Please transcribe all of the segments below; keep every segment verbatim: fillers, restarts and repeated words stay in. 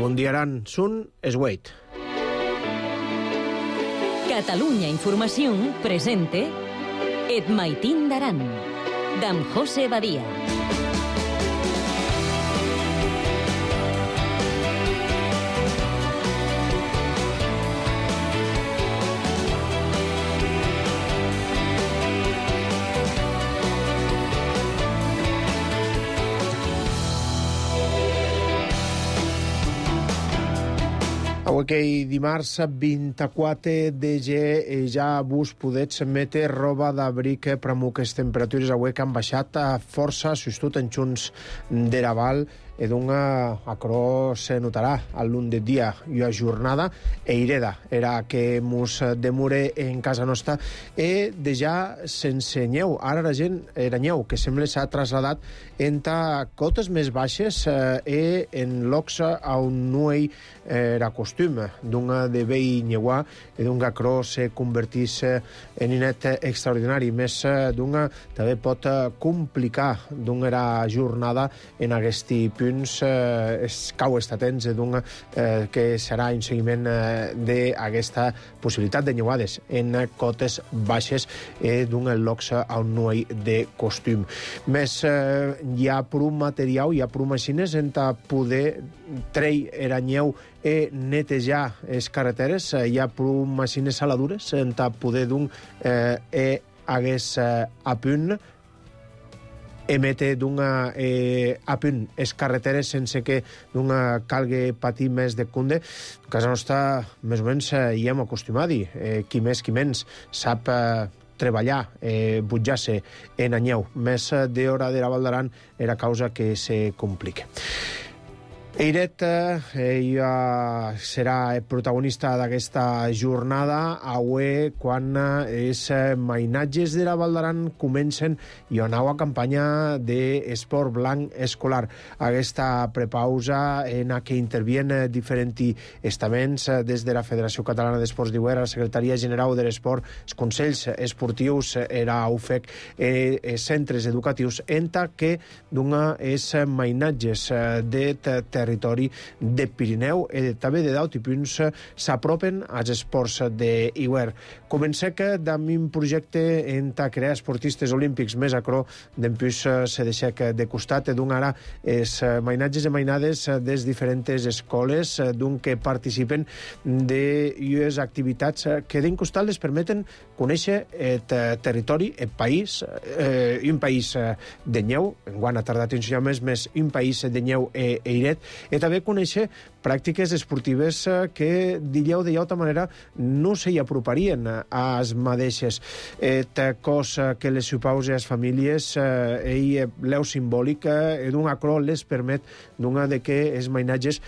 Mundiaran Sun Esweit. Catalunya Informació presente Et Maitín d'Aran, d'en José Badia. Avui que dimarts vint-i-quatre de gener ja vos podets metre roba d'abric per amuques temperatures avui que han baixat força, sostut en junts d'era val, e dunga acro se notarà al lung de dia i a jornada e ireda era que mos demure en casa nostra e de ja sense nyeu. Ara la gent era nyeu que sembla s'ha trasladat enta cotes més baixes eh, e en locs a un nuei era costum dunga de vei nyeuà e dunga acro se convertís en inet extraordinari. Més dunga també pot complicar dunga era jornada en aguesti punt Eh, es cau estar atents d'un eh, que serà un seguiment eh, d'aquesta possibilitat de nyeuades en cotes baixes eh, d'un locs a un nuei de costum. Més eh, hi ha prou material, hi ha prou machines en poder trei era nyeu e netejar les carreteres, eh, hi ha prou machines saladures en poder d'un eh, e hagués eh, a punt emete d'una eh, a punt es carreteres sense que d'una calgue patir més de cunde. A casa nostra, més o menys, eh, hi hem acostumat-hi. Eh, qui més, qui menys, sap eh, treballar, eh, butjar-se en anyeu. Més eh, d'hora de la Val d'Aran era causa que se complique. Eiret eh, ja serà el protagonista d'aquesta jornada avui quan els mainatges de la Val d'Aran comencen i una nova campanya d'esport blanc escolar. Aquesta prepausa en què intervien diferents estaments des de la Federació Catalana d'Esports d'Iguera, la Secretaria General de l'Esport, els Consells Esportius, era U F E C, eh, centres educatius, enta que dona els mainatges de territori territori de Pirineu i també de Daut i punts s'apropen als esports d'Iguer. Comencé que amb un projecte en crear esportistes olímpics més acro d'empús se deixec de costat d'un ara els mainatges i mainades des diferents escoles d'un que participen de les activitats que d'un costat les permeten conèixer el territori, el país, eh, un país de nyeu, enguany ha tardat un senyor més, més un país de nyeu e eiret, i també conèixer pràctiques esportives que, diríeu de llauta manera, no s'hi aproparien a les mateixes. Et cos que les supausa a les famílies i l'eu simbòlic d'un acro les permet d'una de que els mainatges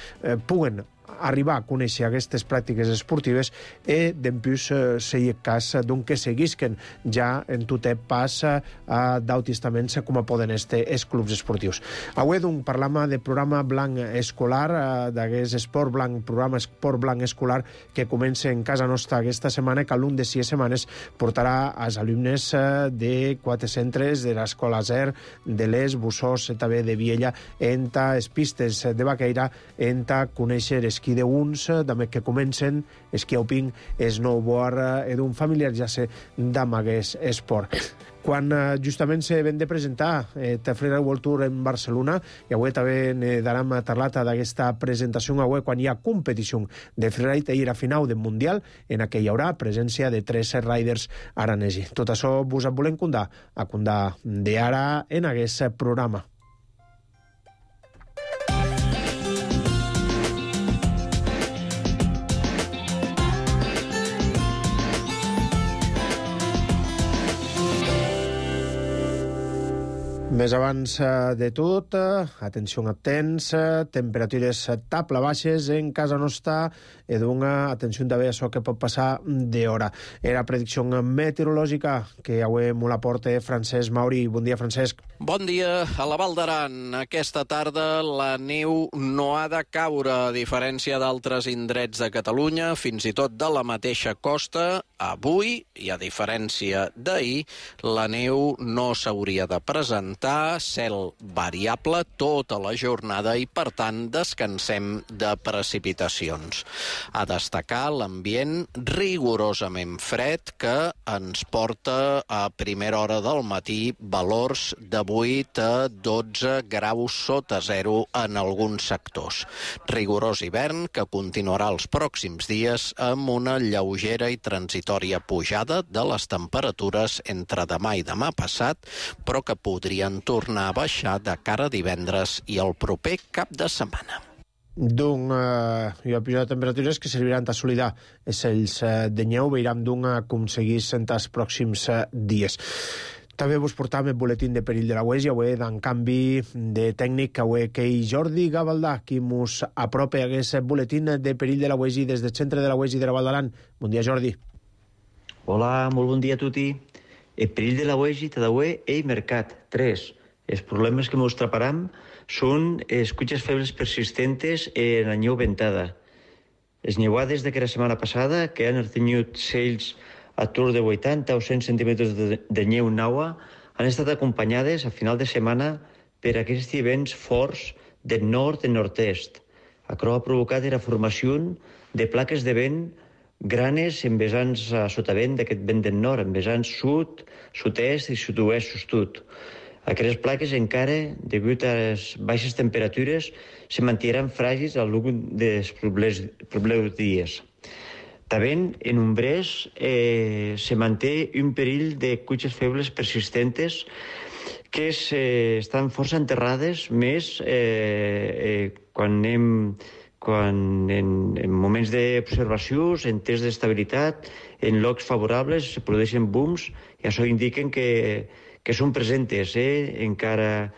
puguen arribar a conèixer aquestes pràctiques esportives i d'empús sei cas d'un que seguisquen ja en tot pas a d'autistaments com a poden este els clubs esportius. Avui d'un parlam de programa blanc escolar, d'aquest esport blanc, programa esport blanc escolar que comença en casa nostra aquesta setmana, que a l'un de sis setmanes portarà als alumnes de quatre centres de l'Escola Zer, de l'Es, Bussós, també de Viella, enta les pistes de Baqueira, enta conèixer esquí d'uns, també que comencen esquí alpin, snowboard, i d'un familiaritzar-se d'amb aquest esport. Quan justament se ven de presentar el Freeride World Tour en Barcelona, i avui també daram parlat d'aquesta presentació avui quan hi ha competició de freeride i a final del Mundial, en què hi haurà presència de tres riders aranesi. Tot això vos volem contar a contar d'ara en aquest programa. Més abans de tot, atenció a temps, temperatures tabla baixes en casa nostra, i d'una atenció també a això que pot passar d'hora. Era predicció meteorològica que avui m'ho la porta Francesc Mauri. Bon dia, Francesc. Bon dia. A la Val d'Aran, aquesta tarda la neu no ha de caure, a diferència d'altres indrets de Catalunya, fins i tot de la mateixa costa. Avui, i a diferència d'ahir, la neu no s'hauria de presentar afectar, cel variable tota la jornada i, per tant, descansem de precipitacions. A destacar l'ambient rigorosament fred que ens porta a primera hora del matí valors de vuit a dotze graus sota zero en alguns sectors. Rigorós hivern que continuarà els pròxims dies amb una lleugera i transitòria pujada de les temperatures entre demà i demà passat, però que podrien tornar a baixar de cara a divendres i el proper cap de setmana. D'un eh, hi ha pujada de temperatures que serviran d'assolir els eh, de neu, veiram d'un aconseguir en els pròxims eh, dies. També vos portam el boletín de perill de la U E S I, avui en canvi de tècnic, avui que hi Jordi Gavaldà, qui mos apropa aquest boletín de perill de la U E S I des del centre de la U E S I de la Val d'Aran. Bon dia, Jordi. Hola, molt bon dia a tutti. El perill de la U E S I tadaue ei mercat. tres. Els problemes que mos traparam són escuches febles persistentes en la neu ventada. Les neuades d'aquesta setmana passada, que han tingut cells a tour de vuitanta o cent centímetres de, de neu naua, han estat acompanyades a final de setmana per aquests vents forts del nord i nord-est. Això ha provocat la formació de plaques de vent granes en vessants a sotavent d'aquest vent del nord, en vessants sud, sud-est i sud-oest sostut. Aquestes plaques encara, degut a les baixes temperatures, se mantindran fràgils al llarg dels propers dies. També en umbrès eh, se manté un perill de cuixes febles persistentes que eh, estan força enterrades, més eh, eh, quan anem quan en, en moments d'observació, en tests d'estabilitat, en llocs favorables, se produeixen booms i això indiquen que, que són presentes, eh? encara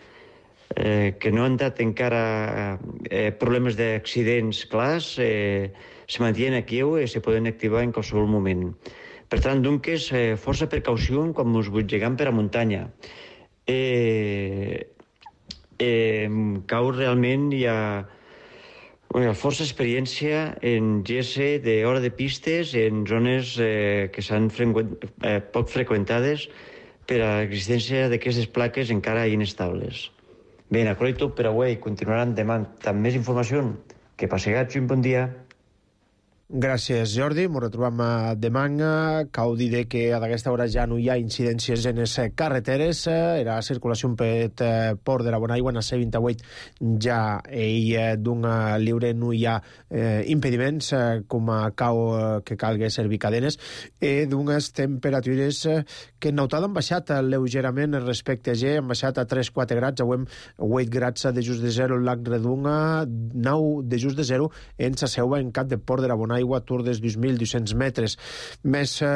eh, que no han dat encara eh, problemes d'accidents clars, eh, se mantenen aquí i se poden activar en qualsevol moment. Per tant, doncs, eh, força precaució quan ens butgegam per a muntanya. Eh, eh, cau realment hi ha Bueno, força experiència en G S d'hora de pistes en zones eh, que s'han eh, poc freqüentades per a l'existència d'aquestes plaques encara inestables. Bé, això és tot per avui. Continuaran demà amb més informació. Que passegats un bon dia. Gràcies, Jordi. Ens retrobam demà. Cal dir que a aquesta hora ja no hi ha incidències en les carreteres. Era circulació per Port de la Bonaigua, en la C vint-i-vuit ja hi d'un lliure, no hi ha eh, impediments com a cau que calgui servir cadenes, i d'unes temperatures que en Nautada han baixat lleugerament respecte a G, han baixat a tres a quatre grads, avui vuit grads de just de zero en Lac Redunga, nou de just de zero en sa seu en cap de Port de la Bonaigua, a tour dels dos mil dos-cents metres. Més eh,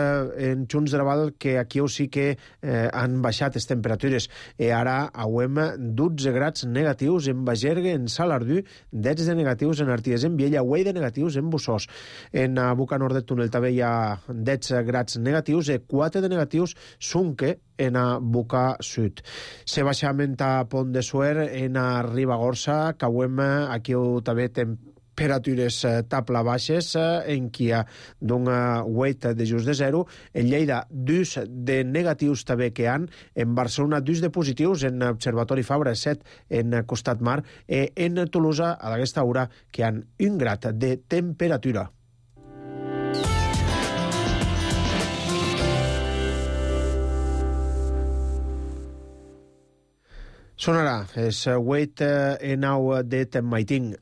en Junts de la Val, que aquí sí que eh, han baixat les temperatures. I ara hauem dotze grads negatius en Bagergue, en Salardú, dotze de negatius en Arties, en Viella, vuit de negatius en Bussós. En a Boca Nord de Túnel també hi ha dotze grads negatius i quatre de negatius Sunque en a Boca Sud. Se baixament a Pont de Suert, en a Ribagorça, que hauem aquí també temperatures temperatures tabla baixes, en qui hi ha d'una vuit de just de zero, en Lleida dos de negatius també que han, en Barcelona dos de positius, en Observatori Fabra set en Costat Mar, i en Tolosa a aquesta hora que han un grad de temperatura. Sonarà, és vuit i nou de Maiting.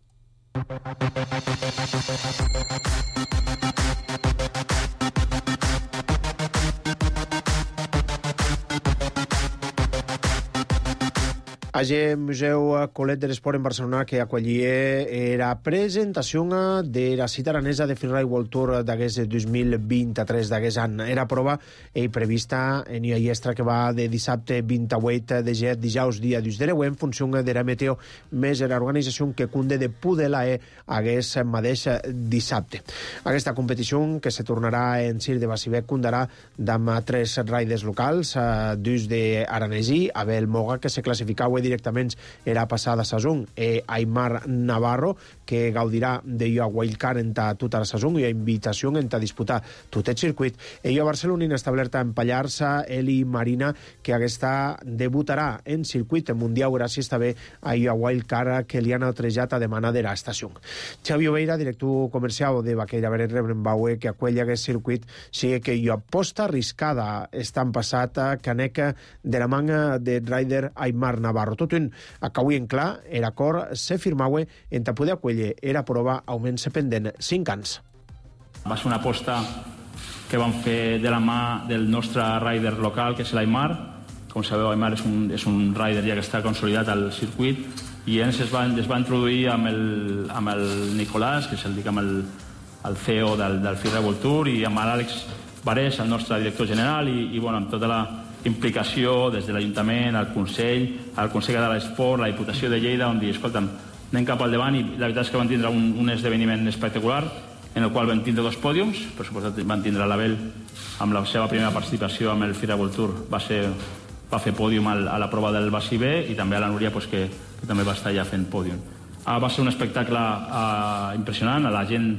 Age Museu Colet de l'Esport en Barcelona, que acollia la presentació de la cita aranesa de Freeride World Tour d'aquest dos mil vint-i-tres d'aquest any. Era prova i prevista en una llestra que va de dissabte vint-i-vuit de gener, dijous dia dos de deu, en funció de la meteo, més l'organització que cunde de Pudelae aquest mateix dissabte. Aquesta competició, que se tornarà en Cir de Bacibec, cundarà amb tres riders locals, dos d'Aranesi, Abel Moga, que se classificava directament era passada saison eh, Aimar Navarro, que gaudirà de jo a wildcard en tota la saison i a invitació en a disputar tot el circuit. Ell a Barcelona establerta en Pallarsa, Eli Marina, que aquesta debutarà en circuit mundial gràcies també a jo a wildcard que li han altrejat a demana de l'estació. Xavi Oveira, director comercial de Vaqueira Beret Rebrenbaue, que acuella aquest circuit, sigue que jo aposta arriscada estan passat a caneca de la manga de rider Aimar Navarro. Tot un acabui en clar, era acord se firmaue en ta poder acuelle era prova augment-se pendent cinc anys. Va ser una aposta que vam fer de la mà del nostre rider local, que és l'Aimar. Com sabeu, Aimar és un, és un rider ja que està consolidat al circuit i ells es van, es van introduir amb el, amb el Nicolàs, que és el, diguem, el, el C E O del, del Firra World Tour, i amb l'Àlex Barés, el nostre director general, i, i bueno, amb tota la implicació des de l'Ajuntament, el Consell, el Consell de l'Esport, la Diputació de Lleida, on dir, escolta'm, anem cap al davant, i la veritat és que van tindre un, un esdeveniment espectacular en el qual van tindre dos pòdiums. Per suposat van tindre l'Abel amb la seva primera participació amb el Firra World Tour, va, ser, va fer pòdium al, a la prova del Bassi B, i també a la Núria, pues, que, que també va estar allà fent pòdium. Ah, va ser un espectacle ah, impressionant. La gent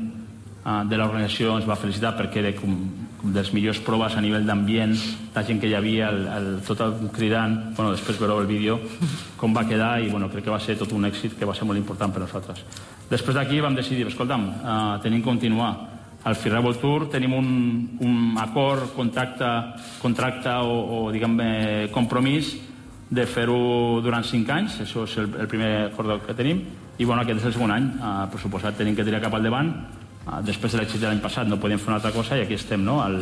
ah, de l'organització ens va felicitar perquè era com, com de les millors proves a nivell d'ambient, la gent que hi havia, el, el, tot el cridant. Bueno, després veureu el vídeo com va quedar, i bueno, crec que va ser tot un èxit que va ser molt important per a nosaltres. Després d'aquí vam decidir, escolta'm, uh, tenim que continuar. Al Firra World Tour tenim un, un acord, contacte, contracte o, o diguem, compromís de fer-ho durant cinc anys. Això és el, el primer acord que tenim. I bueno, aquest és el segon any. Uh, per suposat, tenim que tirar cap al davant. Uh, després de l'èxit de l'any passat no podíem fer una altra cosa, i aquí estem, no?, el,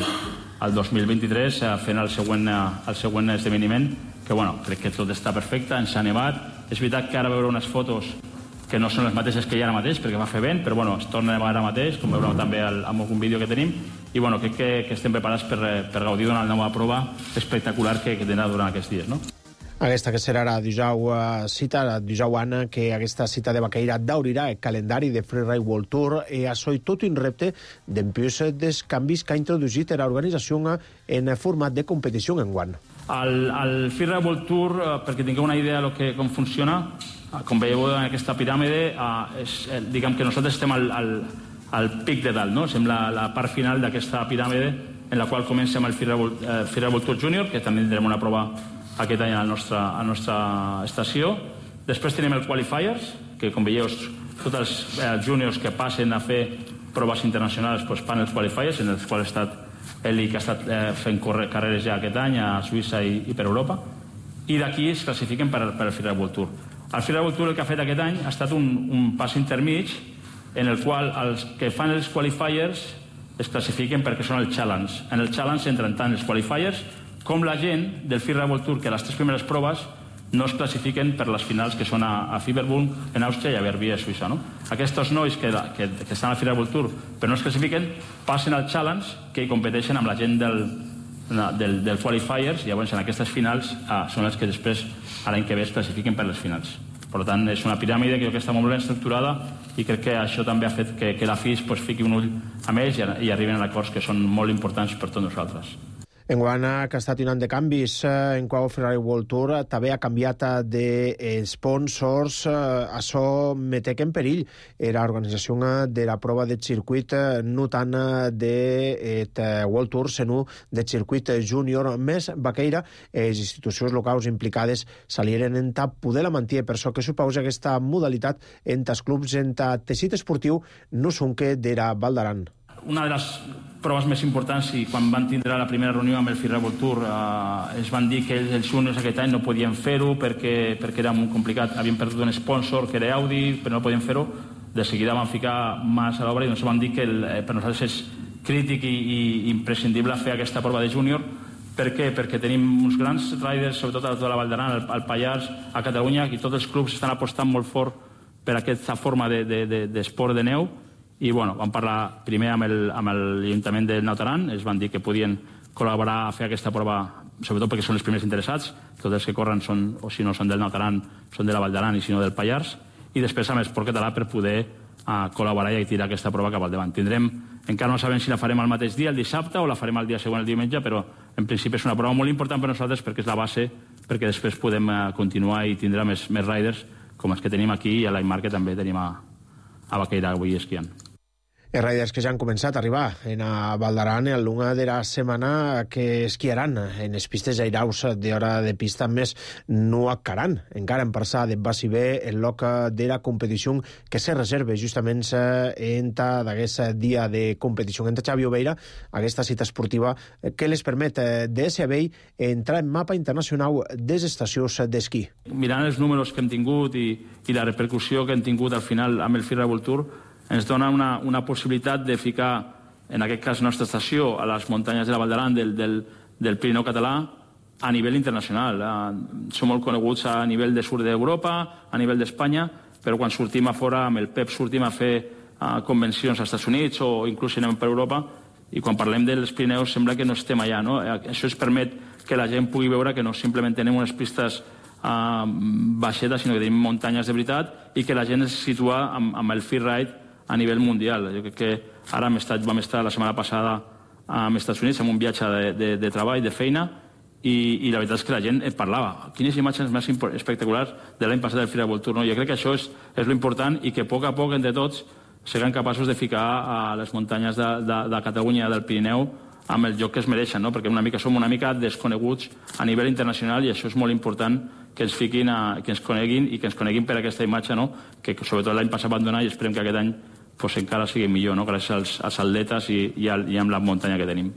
el dos mil vint-i-tres uh, fent el següent, uh, el següent esdeveniment, que bueno, crec que tot està perfecte, ens ha nevat. És veritat que ara veure unes fotos que no són les mateixes que hi ha ara mateix, perquè va fer vent, però bueno, es torna a nevar ara mateix, com veureu també al, amb algun vídeo que tenim, i bueno, crec que, que estem preparats per, per gaudir d'una nova prova espectacular que, que tindrà durant aquests dies, no? Aquesta que serà la dijous cita, la dijous Anna, que aquesta cita de Vaqueira daurirà el calendari de Freeride World Tour, i això i tot un repte d'empius dels canvis que ha introduït l'organització en format de competició en guant. El, el Freeride World Tour, perquè tingueu una idea de que, com funciona, com veieu en aquesta piràmide, és, diguem que nosaltres estem al, al, al pic de dalt, no? Som la, la part final d'aquesta piràmide, en la qual comencem el Freeride World Tour Junior, que també tindrem una prova aquest any a la nostra, a la nostra estació. Després tenim el Qualifiers, que com veieu, tots els eh, juniors que passen a fer proves internacionals pues, fan els Qualifiers, en els quals ha estat Eli, que ha estat eh, fent carreres ja aquest any a Suïssa i, i per Europa, i d'aquí es classifiquen per, per el Freeride World Tour. El Freeride World Tour el que ha fet aquest any ha estat un, un pas intermig en el qual els que fan els Qualifiers es classifiquen perquè són el Challenge. En el Challenge entren tant els Qualifiers com la gent del Freeride World Tour, que les tres primeres proves no es classifiquen per les finals que són a, a Fieberburg, en Àustria, i a Verbier, a Suïssa. No? Aquests nois que, que, que estan al Freeride World Tour però no es classifiquen, passen al Challenge, que hi competeixen amb la gent del, del, del Qualifiers, i llavors en aquestes finals ah, són les que després, a l'any que ve, es classifiquen per les finals. Per tant, és una piràmide que, que està molt ben estructurada, i crec que això també ha fet que, que la F I S pues, fiqui un ull a ells i, i arriben a acords que són molt importants per tots nosaltres. En Guana, que ha estat un any de canvis, en qual el Freeride World Tour també ha canviat de sponsors. Això metec en perill l'organització de la prova de circuit, no tant de World Tour, sinó de circuit júnior. Més Vaqueira, les institucions locals implicades salieren en tap poder la mantenir, per això que suposa aquesta modalitat en els clubs, en el teixit esportiu, no són que de la Val d'Aran. Una de les proves més importants, i quan van tindre la primera reunió amb el Freeride World Tour eh, es van dir que els, els juniors aquest any no podien fer-ho perquè, perquè era molt complicat, havien perdut un sponsor que era Audi, però no podien fer-ho. De seguida van ficar mans a l'obra i ens van dir que el, per nosaltres és crític i, i imprescindible fer aquesta prova de júnior. Per què? Perquè tenim uns grans riders, sobretot a tota la Val d'Aran, al, al Pallars, a Catalunya, i tots els clubs estan apostant molt fort per aquesta forma d'esport de, de, de, de neu. I bueno, vam parlar primer amb l'Ajuntament del Naut Aran, es van dir que podien col·laborar a fer aquesta prova, sobretot perquè són els primers interessats, tots els que corren són, o si no són del Naut Aran, són de la Val d'Aran, i si no del Pallars, i després amb l'Esport Català per poder uh, col·laborar i tirar aquesta prova cap al davant. Tindrem, encara no sabem si la farem el mateix dia, el dissabte, o la farem el dia següent, el diumenge, però en principi és una prova molt important per nosaltres perquè és la base perquè després podem continuar i tindrà més, més riders com els que tenim aquí i a l'Aimar que també tenim a, a Baqueira avui esquiant. Els riders que ja han començat a arribar en a Val d'Aran el lunga de la setmana que esquiaran en les pistes airaus d'hora de pista més no acaran. Encara en passar de basi bé el loc de la competició que se reserva justament en d'aquest dia de competició. En Xavi Obeira, aquesta cita esportiva que les permet de S B entrar en mapa internacional des estacions d'esquí. Mirant els números que hem tingut i, i la repercussió que hem tingut al final amb el Freeride World Tour, ens dona una, una possibilitat de ficar, en aquest cas, la nostra estació a les muntanyes de la Val d'Aran del, del, del Pirineu català a nivell internacional. Eh, som molt coneguts a nivell de sud d'Europa, a nivell d'Espanya, però quan sortim a fora, amb el P E P sortim a fer eh, convencions als Estats Units o inclús anem per Europa, i quan parlem dels Pirineus sembla que no estem allà. No? Això ens permet que la gent pugui veure que no simplement tenim unes pistes eh, baixetes, sinó que tenim muntanyes de veritat i que la gent es situa amb, amb el freeride a nivell mundial. Jo crec que ara hem estat, vam estar la setmana passada als Estats Units amb un viatge de, de, de treball, de feina, i, i la veritat és que la gent et parlava. Quines imatges més espectaculars de l'any passat del Freeride World Tour. No? Jo crec que això és, és l'important i que a poc a poc, entre tots, siguem capaços de ficar a les muntanyes de, de, de Catalunya i del Pirineu amb el lloc que es mereixen, no? Perquè una mica som una mica desconeguts a nivell internacional i això és molt important que ens fiquin, a, que ens coneguin i que ens coneguin per aquesta imatge, no? Que sobretot l'any passat van donar i esperem que aquest any pues, encara sigui millor, no? Gràcies als, als atletes i, i, al, i amb la muntanya que tenim.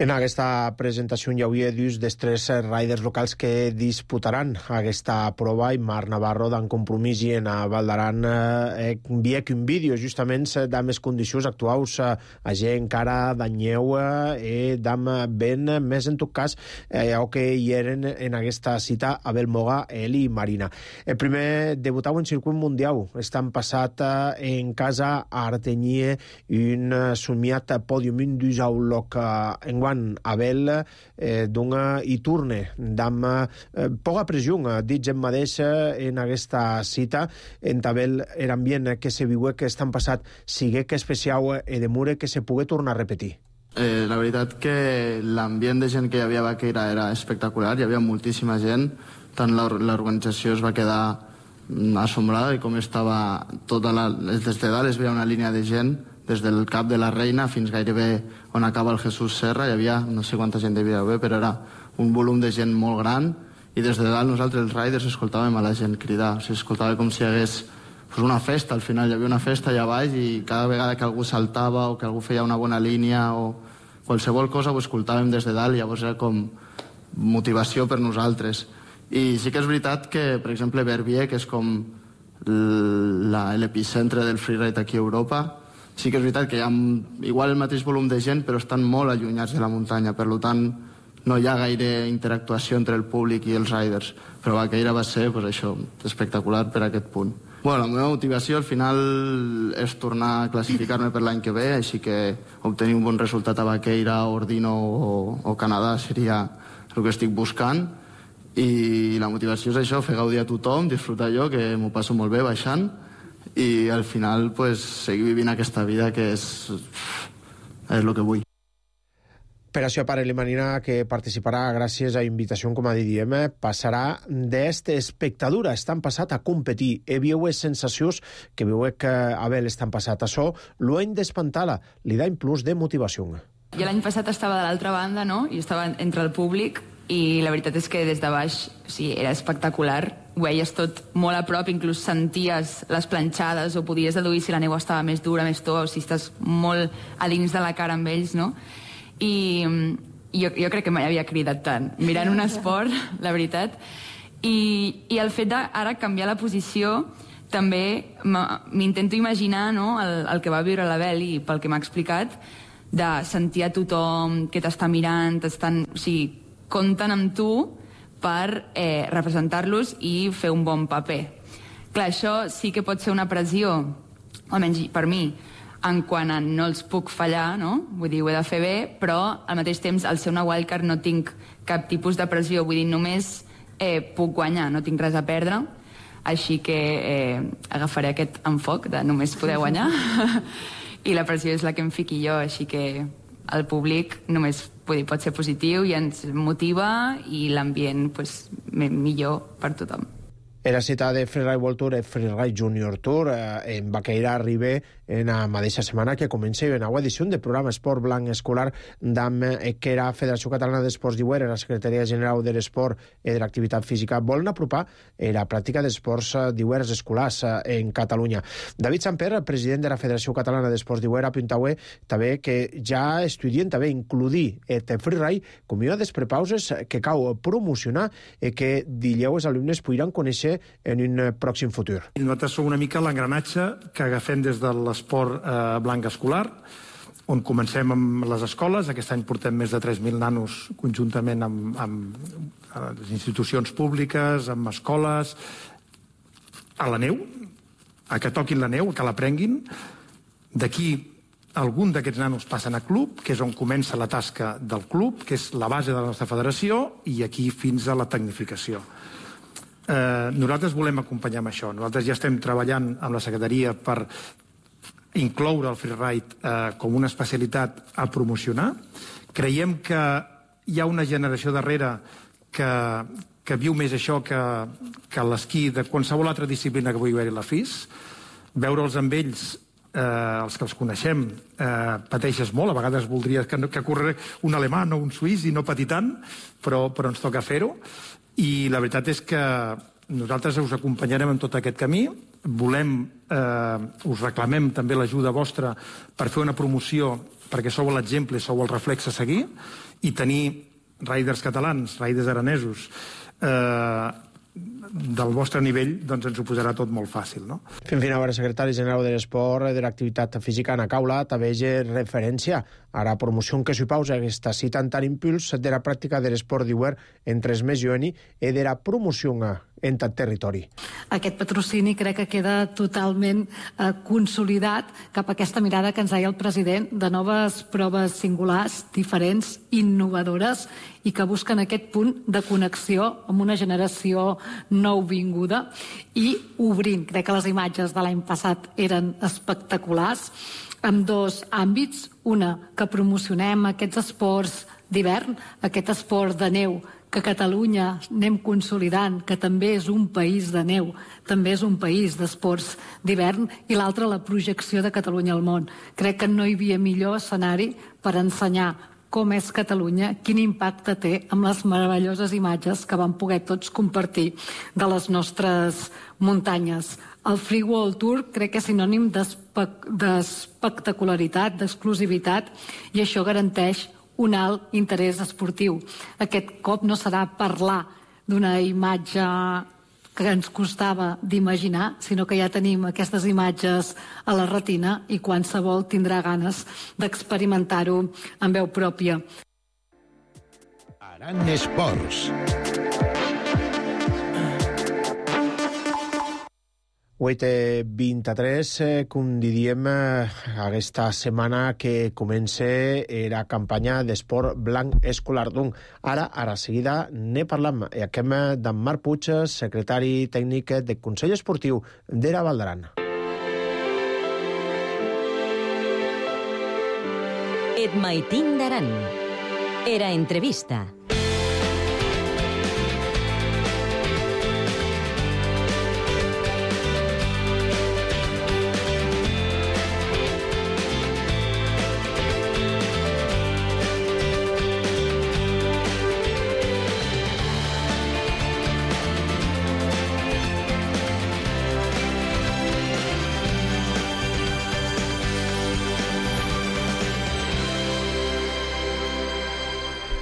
En aquesta presentació hi hauria dus dels tres riders locals que disputaran aquesta prova, i Marc Navarro d'en Compromís i en Val d'Aran eh, enviec un vídeo justament de més condicions actuals eh, a gent encara d'anyeu i eh, d'am ben més en tot cas eh, o que hi eren en aquesta cita Abel Moga, Eli i Marina. El primer debutau en circuit mundial estan passat eh, en casa a Artenyie un somiat pòdium, un dus au loc eh, en Abel eh, d'una i turne d'amb eh, poca pressió, dit gent mateix en aquesta cita. En Abel era ambient que se viu que estan passat sigue que especial e de mure que se pugui tornar a repetir. Eh, la veritat que l'ambient de gent que hi havia a Baqueira era espectacular, hi havia moltíssima gent, tant l'organització es va quedar assombrada de com estava tota la... des de dalt es veia una línia de gent des del cap de la Reina fins gairebé on acaba el Jesús Serra. Hi havia, no sé quanta gent devia haver, però era un volum de gent molt gran i des de dalt nosaltres els riders escoltàvem a la gent cridar. O sigui, escoltava com si hi hagués pues, una festa, al final hi havia una festa allà baix i cada vegada que algú saltava o que algú feia una bona línia o qualsevol cosa ho escoltàvem des de dalt i llavors era com motivació per nosaltres. I sí que és veritat que, per exemple, Verbier, que és com l'epicentre del freeride aquí a Europa, sí que és veritat que hi ha igual el mateix volum de gent, però estan molt allunyats de la muntanya, per tant no hi ha gaire interactuació entre el públic i els riders, però Baqueira va ser pues, això, espectacular per aquest punt. Bueno, la meva motivació al final és tornar a classificar-me per l'any que ve, així que obtenir un bon resultat a Baqueira, Ordino o, o Canadà seria el que estic buscant, i la motivació és això, fer gaudir a tothom, disfrutar jo, que m'ho passo molt bé baixant, i al final pues, seguir vivint aquesta vida que és, és el que vull. Per això, pare i Marina, que participarà gràcies a invitació, com a diem, passarà d'esta espectadura. Estan passat a competir. He viu sensacions que veu que Abel estan passat. Això l'ho hem d'espantar-la. Li da un plus de motivació. Jo l'any passat estava de l'altra banda, no? I estava entre el públic i la veritat és que des de baix o sigui, era espectacular. Ho veies tot molt a prop, inclús senties les planxades o podies deduir si la neu estava més dura, més tova, o si estàs molt a dins de la cara amb ells, no? I jo, jo crec que mai havia cridat tant, mirant un esport, la veritat. I, i el fet d'ara canviar la posició també m'intento imaginar, no, el, el que va viure l'Abel i pel que m'ha explicat, de sentir a tothom que t'està mirant, t'estan, o sigui, compten amb tu per eh, representar-los i fer un bon paper. Clar, això sí que pot ser una pressió, almenys per mi, en quant a no els puc fallar, no? Vull dir, ho he de fer bé, però al mateix temps, al ser una wildcard no tinc cap tipus de pressió, vull dir, només eh, puc guanyar, no tinc res a perdre, així que eh, agafaré aquest enfoc de només poder guanyar, i la pressió és la que em fiqui jo, així que el públic només vull dir, pot ser positiu i ens motiva i l'ambient pues, millor per tothom. Era cita de Freeride World Tour e Freeride Junior Tour eh, en Baqueira arriba en la mateixa setmana que comença una nova edició del programa Esport Blanc Escolar d'A M E, que era Federació Catalana d'Esports d'Iuer, la Secretaria General de l'Esport i de l'Activitat Física, volen apropar la pràctica d'esports d'Iuer escolars en Catalunya. David Samper, president de la Federació Catalana d'Esports d'Iuer, apunta també que ja estudien també incluir el freeride com una de les prepauses que cal promocionar i que dileu els alumnes podran conèixer en un pròxim futur. Nosaltres som una mica l'engranatge que agafem des de l'esport eh, blanc escolar, on comencem amb les escoles. Aquest any portem més de tres mil nanos conjuntament amb, amb les institucions públiques, amb escoles, a la neu, a que toquin la neu, que l'aprenguin. D'aquí algun d'aquests nanos passen a club, que és on comença la tasca del club, que és la base de la nostra federació, i aquí fins a la tecnificació. Eh, nosaltres volem acompanyar amb això. Nosaltres ja estem treballant amb la Secretaria per incloure el freeride eh, com una especialitat a promocionar. Creiem que hi ha una generació darrere que, que viu més això que, que l'esquí de qualsevol altra disciplina que pugui haver-hi la F I S. Veure'ls amb ells, eh, els que els coneixem, eh, pateixes molt. A vegades voldries que, que corre un alemany o un suís i no patir tant, però, però ens toca fer-ho. I la veritat és que nosaltres us acompanyarem en tot aquest camí. Volem, eh, us reclamem també l'ajuda vostra per fer una promoció, perquè sou l'exemple, sou el reflex a seguir, i tenir riders catalans, riders aranesos, eh, del vostre nivell, doncs ens ho posarà tot molt fàcil, no? Fent fin ara, secretari general de l'Esport i de l'Activitat Física, Ana Caula, també hi referència a la promoció que s'hi pausa aquesta cita en tant impuls de la pràctica de l'esport d'Iuer entre els més joves i de la promoció en tant territori. Aquest patrocini crec que queda totalment eh, consolidat cap a aquesta mirada que ens deia el president de noves proves singulars, diferents, innovadores i que busquen aquest punt de connexió amb una generació nouvinguda i obrint. Crec que les imatges de l'any passat eren espectaculars en dos àmbits. Una, que promocionem aquests esports d'hivern, aquest esport de neu que a Catalunya anem consolidant, que també és un país de neu, també és un país d'esports d'hivern, i l'altra, la projecció de Catalunya al món. Crec que no hi havia millor escenari per ensenyar com és Catalunya, quin impacte té amb les meravelloses imatges que vam poder tots compartir de les nostres muntanyes. El Free World Tour crec que és sinònim d'espectacularitat, d'exclusivitat, i això garanteix un alt interès esportiu. Aquest cop no serà parlar d'una imatge que ens costava d'imaginar, sinó que ja tenim aquestes imatges a la retina i qualsevol tindrà ganes d'experimentar-ho en veu pròpia. Aran Esports. vuit i vint-i-tres, com diríem, aquesta setmana que comença la campanya d'esport blanc escolar. Donc, ara, a la seguida, ne parlam. I acabem d'en Marc Puig, secretari tècnic del Consell Esportiu de la Val d'Aran. Et Maitín d'Aran. Era entrevista.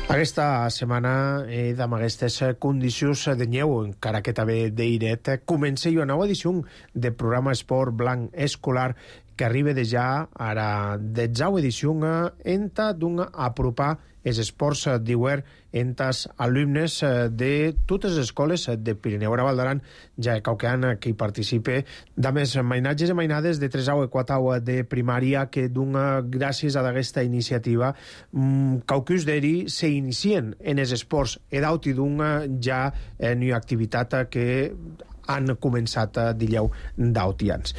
Aquesta setmana, eh, amb aquestes condicions de neu, encara que també d'airet, comença una nova edició del programa Esport Blanc Escolar que arriba de ja a la detzena edició en d'un apropar els esports d'hivern entre els alumnes de totes les escoles de Pirineu i Val d'Aran, ja que qui participa de més mainatges i mainades de tres i quatre de primària que dona gràcies a aquesta iniciativa caucus d'eri s'inicien en els esports edaut i dona ja en una activitat que han començat a Dilleu d'Autians.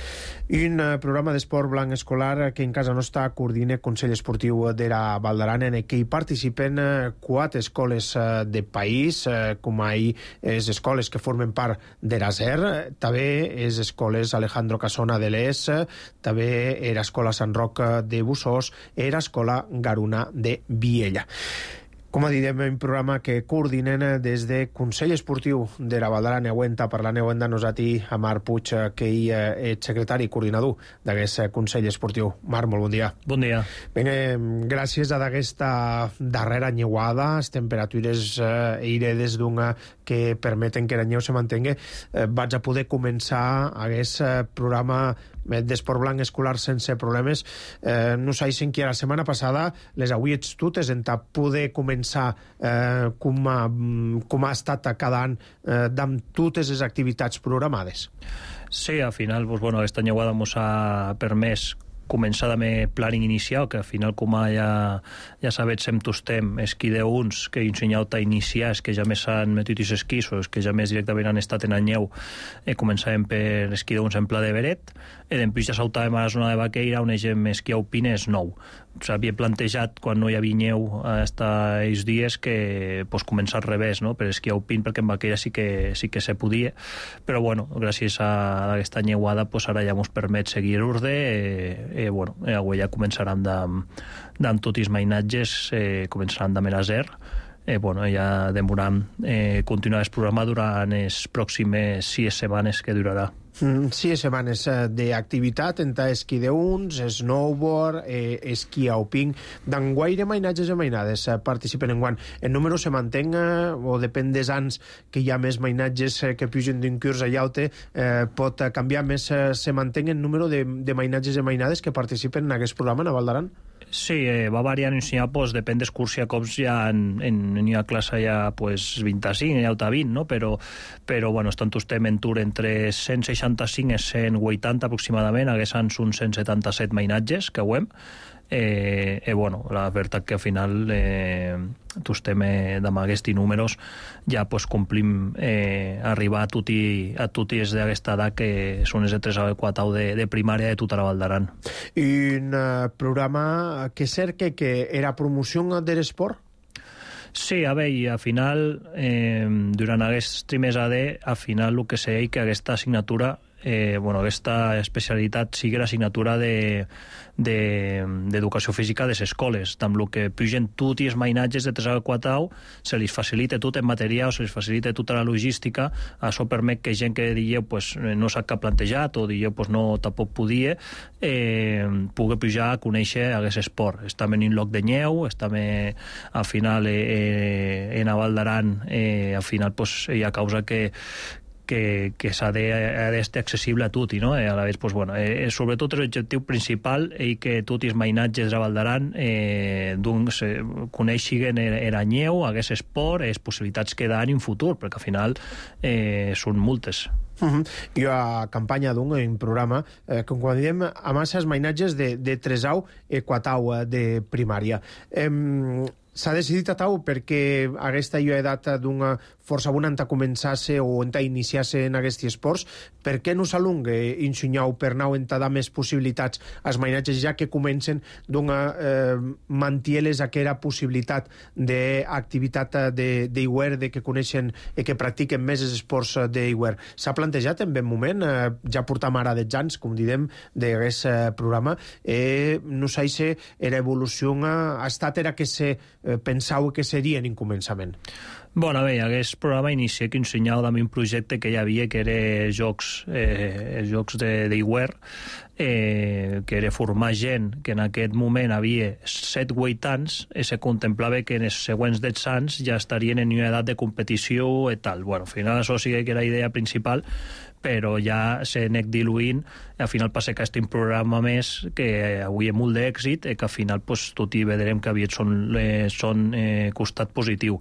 Un programa d'esport blanc escolar que en casa nostra coordina el Consell Esportiu d'Era Valdaran, en què hi participen quatre escoles de país, com ahir les escoles que formen part d'Eraser, també les escoles Alejandro Casona de l'Es, també era escola Sant Roc de Bussós, era escola Garuna de Viella. Com a diem, un programa que coordinen des de Consell Esportiu de la Valdaran. Neuenta, parlant neuenta nosati a Marc Puig, que hi és secretari i coordinador d'aquest Consell Esportiu. Marc, molt bon dia. Bon dia. Bé, gràcies a aquesta darrera nyeuada, les temperatures eh, eiredes d'una que permeten que la neu se mantengui, eh, vaig a poder començar aquest programa d'esport blanc escolar sense problemes. Eh, no sé si que la setmana passada les auiets totes en poder començar eh, com, ha, com ha estat cada any eh, amb totes les activitats programades. Sí, al final, pues, bueno, aquesta nyeuada ens ha permès començar amb planning inicial, que al final, com ja, ja sabets, sem tostem esquí d'uns que he ensenyat a iniciar, és que ja més han metut els esquís, o és que ja més directament han estat en anyeu, eh, començàvem per esquí d'uns en Pla de Beret, i després ja saltàvem a la zona de Vaqueira, on hem esquí alpines nou. S'havia plantejat, quan no hi havia neu fins aquests dies, que pues, començar al revés, no? Per esquí alpin, perquè en Vaqueira sí que, sí que se podia, però bueno, gràcies a aquesta nyeuada, pues, ara ja ens permet seguir l'urde, eh, eh, bueno, avui ja començaran amb tots els mainatges, eh, començaran de Meraser, eh, bueno, ja demoram eh, continuar el programa durant les pròximes sis setmanes que durarà. Mm, sis setmanes d'activitat entre esquí d'uns, snowboard, eh, esquí alpin. D'enguaire mainatges i mainades eh, participen en guant. El número se mantén eh, o depèn dels anys que hi ha més mainatges eh, que pugen d'un curs a llaute, eh, pot canviar més, eh, se mantén el número de, de mainatges i mainades que participen en aquest programa a Valdaran? Sí, eh, va variant en ensenyar, pues, depèn d'escursia, cops ja en, en, en una classe ja pues, vint-i-cinc, ja ho vint, no? Però, però bueno, estan estem en tur entre cent seixanta-cinc i cent vuitanta aproximadament, haguessin uns cent setanta-set mainatges que ho hem. Eh, eh, bueno, la veritat que al final eh, tostem eh, amb aquests números ja pues, complim eh, arribar a tots a tots d'aquesta edat que són els de tres a quatre de, de primària de tota la Valdaran. Un uh, programa que cerca que era promoció de l'esport? Sí, a veure, al final, eh, durant aquests primers A D, al final el que sé que aquesta assignatura, eh, bueno, aquesta especialitat sigui l'assignatura de d'educació de, física de les escoles, amb el que pugen tots els mainatges de tres a quatre anys, se li facilita tot en material, se li facilita tota la logística, això permet que gent que dieu pues, no sap què ha plantejat o dieu pues, no tampoc podia, eh, pugui pujar a conèixer aquest esport. Estem en un lloc de nyeu, estem eh, al final eh, en Valdaran, eh, al final pues, hi ha causa que que, que s'ha d'estar accessible a tot, no? Eh, a la vegada, pues, bueno, eh, sobretot l'objectiu principal és que tots els mainatges de Valdaran eh, doncs, eh, coneixin era nyeu, aquest esport, les possibilitats que dan en futur, perquè al final eh, són moltes. Uh -huh. I a campanya d'un un programa eh, com quan diem a masses mainatges de, de tres au i quatre au de primària. Eh, s'ha decidit a tau perquè aquesta edat d'una força bona a començar-se o a iniciar-se en aquests esports, per què no s'alunga ensenyar per nou en dar més possibilitats als mainatges ja que comencen d'una eh, mantieles aquella possibilitat d'activitat d'Iwer, de, de que coneixen i que practiquen més els esports d'Iwer. S'ha plantejat en ben moment, eh, ja portam ara dotze anys, com diem, d'aquest eh, programa, eh, no sé si era evolució ha estat era que se eh, pensau que serien en començament. Bueno, bé, aquest programa inicia que ensenyava també un projecte que hi havia, que era jocs, eh, jocs d'Iwer, eh, que era formar gent que en aquest moment havia set vuit anys i se contemplava que en els següents dotze anys ja estarien en una edat de competició i tal. Bueno, al final això sí que era la idea principal, però ja s'ha anat diluint, al final passa que aquest programa més que avui és molt d'èxit i que al final pues, tot i veurem que aviat són, eh, són eh, costat positiu.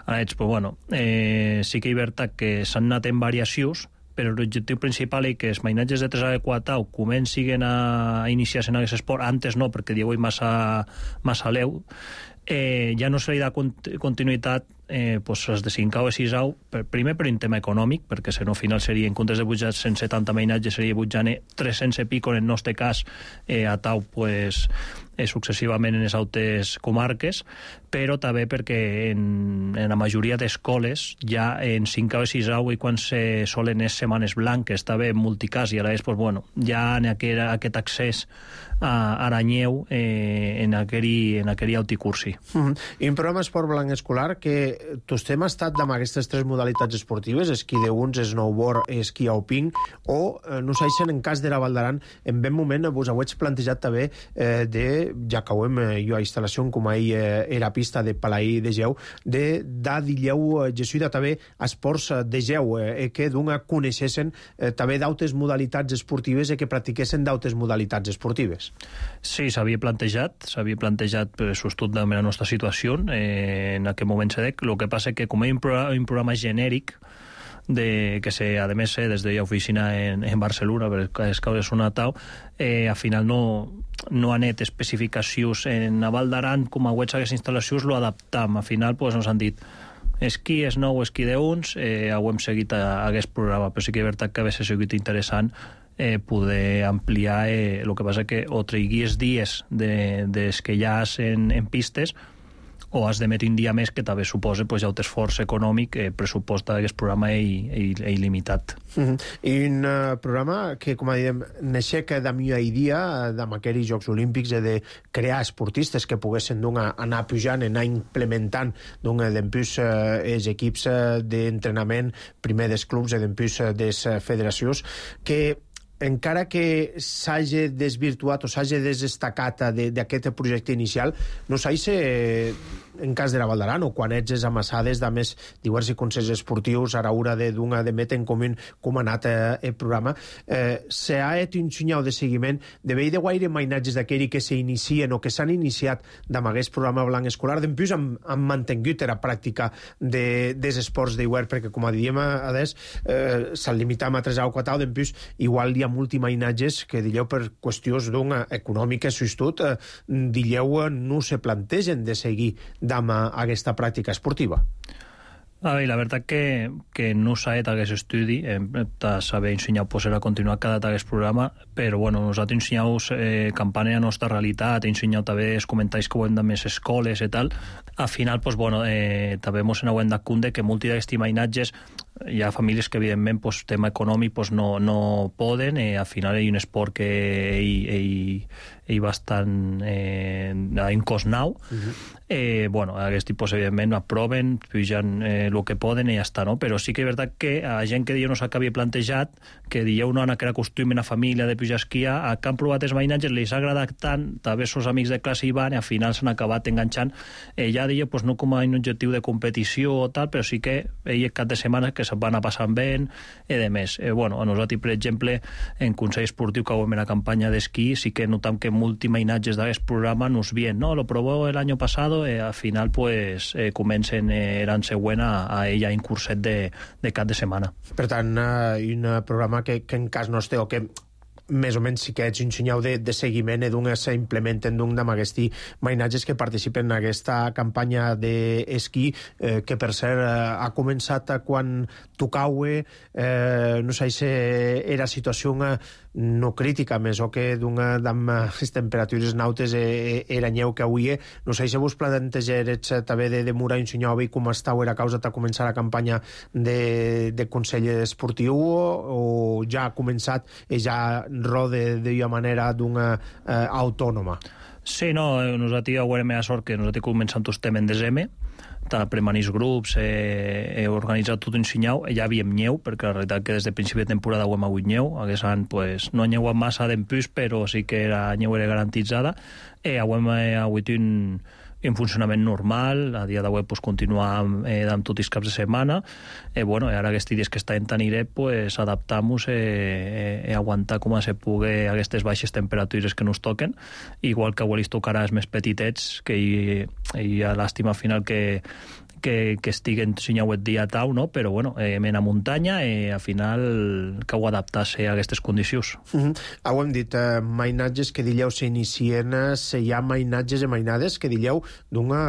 Ara, però bueno, eh, sí que hi ha que s'han anat en variacions, però l'objectiu principal és que els mainatges de tres a quatre anys comencin a iniciar-se en aquest esport, antes no, perquè diu massa, massa leu, eh, ja no se li da continuïtat eh, pues els de cinquè o sisau, per, primer per un tema econòmic, perquè si no al final seria, en comptes de pujar cent setanta mainatges, seria pujant tres-cents i pico en el nostre cas, eh, a tau, pues, eh, successivament en les altres comarques, però també perquè en, en la majoria d'escoles ja en cinquè o sisau i quan se solen les setmanes blanques també en multicàs i ara és, pues, bueno, ja en aquest, aquest accés a Aranyeu eh, en aquell, en aquell auticursi. Mm-hmm. I un programa Esport Blanc Escolar que tostem ha estat amb aquestes tres modalitats esportives, esquí de uns, snowboard, esquí alpin, o eh, no s'aixen en cas de la Val d'Aran, en ben moment vos ho heig plantejat també eh, de, ja que ho hem eh, jo a instal·lació com ahir eh, era pista de Palaí de Geu, de da dilleu eh, jesuïda també esports de Geu, eh, que d'una coneixessin eh, també d'altres modalitats esportives i que practiquessin d'altres modalitats esportives. Sí, s'havia plantejat, s'havia plantejat per sostut de la nostra situació, eh, en aquest moment se dec. El que passa que com hi ha un programa, un programa genèric, de, que se, a més, eh, des de l'oficina en, en Barcelona, perquè és causes una tau, eh, al final no, no han net especificacions en la Val d'Aran, com a webs aquestes instal·lacions, lo adaptam. Al final pues, ens han dit esquí, snow, esquí d'uns, eh, ho hem seguit a, a aquest programa, però sí que és veritat que a vegades ha sigut interessant eh, poder ampliar eh, el que passa que o triguis dies de, des que ja has en, en pistes o has d'emetre un dia més que també suposa pues, ja un esforç econòmic, eh, pressupost d'aquest programa és il·limitat. Mm-hmm. I un uh, programa que, com diem, n'aixeca de mi a dia, amb aquells Jocs Olímpics, de crear esportistes que poguessin anar pujant, anar implementant d'empús uh, els equips uh, d'entrenament, primer dels clubs i d'empús uh, de les federacions, que encara que s'hagi desvirtuat o s'hagi desestacat d'aquest projecte inicial, no s'hagi en cas de la Val d'Aran o quan ets amassades de més diversos consells esportius a l'hora d'una de metre en comú com ha anat eh, el programa, eh, s'ha fet un senyal de seguiment de veure de guaire mainatges d'aquells que s'inicien o que s'han iniciat amb aquest programa blanc escolar, d'empús han, han mantingut la pràctica de, dels esports d'hivern, perquè com diem a des eh, s'han limitat a tres o quatre, d'empús igual hi ha multimainatges que dilleu per qüestions d'una econòmica sustut, eh, dilleu no se plantegen de seguir amb aquesta pràctica esportiva. A veure, la veritat que, que no s'ha fet aquest estudi, hem de saber ensenyar pues, a continuar cada aquest programa, però bueno, nosaltres ensenyau eh, campanya a la nostra realitat, ensenyau també els comentaris que ho hem de més escoles i tal. Al final, pues, bueno, eh, també ens n'hem de cunde que multi d'aquests mainatges hi ha famílies que evidentment pues, tema econòmic pues, no, no poden, eh, al final hi ha un esport que hi, hi, hi bastant eh, en cost nau. Uh-huh. eh, bueno, aquest tipus evidentment aproven, pugen eh, el que poden i ja està, no? Però sí que és veritat que a gent que diu no s'acabi plantejat, que dieu no han que acostumen a família de pujar a esquiar, a que han provat els mainatges, els ha agradat tant, també els amics de classe hi van i al final s'han acabat enganxant. Eh, ja dieu, pues, no com a un objectiu de competició o tal, però sí que ell cap de setmana que se'n van a passar bé i de més. Eh, bueno, a nosaltres, per exemple, en Consell Esportiu que en la campanya d'esquí, sí que notam que multimainatges d'aquest programa nos bien, ¿no? Lo probó el año pasado, eh, al final pues eh, comencen eh, l'any següent a, a ella un curset de, de cap de setmana. Per tant, uh, un programa que, que en cas nostre o que més o menys sí que ets un senyal de, de seguiment i d'un s'implementen d'un d'aquests mainatges que participen en aquesta campanya d'esquí eh, que per cert eh, ha començat quan tocaue eh, no sé si era situació una, no crítica més o que d'una amb les temperatures nautes eh, era nyeu que avui no sé si vos plantejarets també de demorar un senyal i com estàu era causa de començar la campanya de, de Consell Esportiu o, o ja ha començat i ja rode d'una manera d'una eh, autònoma. Sí, no, nosaltres haurem la sort que nosaltres començam tot estem en desembre, premanís grups, he, he organitzat tot un senyal, ja havíem nyeu, perquè la realitat que des de principi de temporada ho hem hagut nyeu, aquest any pues, no nyeu massa d'empús, però sí que la nyeu era garantitzada, i ho hem hagut un en funcionament normal, a dia d'avui pues, continuar amb, eh, amb tots els caps de setmana, eh, bueno, i ara aquests dies que està en Taniré, pues, adaptar-nos i eh, eh, aguantar com se pugui aquestes baixes temperatures que nos toquen, igual que avui els tocarà els més petitets, que hi, hi ha l'àstima final que que, que estiguen ensenyauet dia tau, no? Però bueno, eh, mena muntanya i eh, al final cau adaptar-se a aquestes condicions. Mm-hmm. Ho hem dit, eh, mainatges que dilleu s'inicien, se hi ha mainatges i mainades que dilleu d'una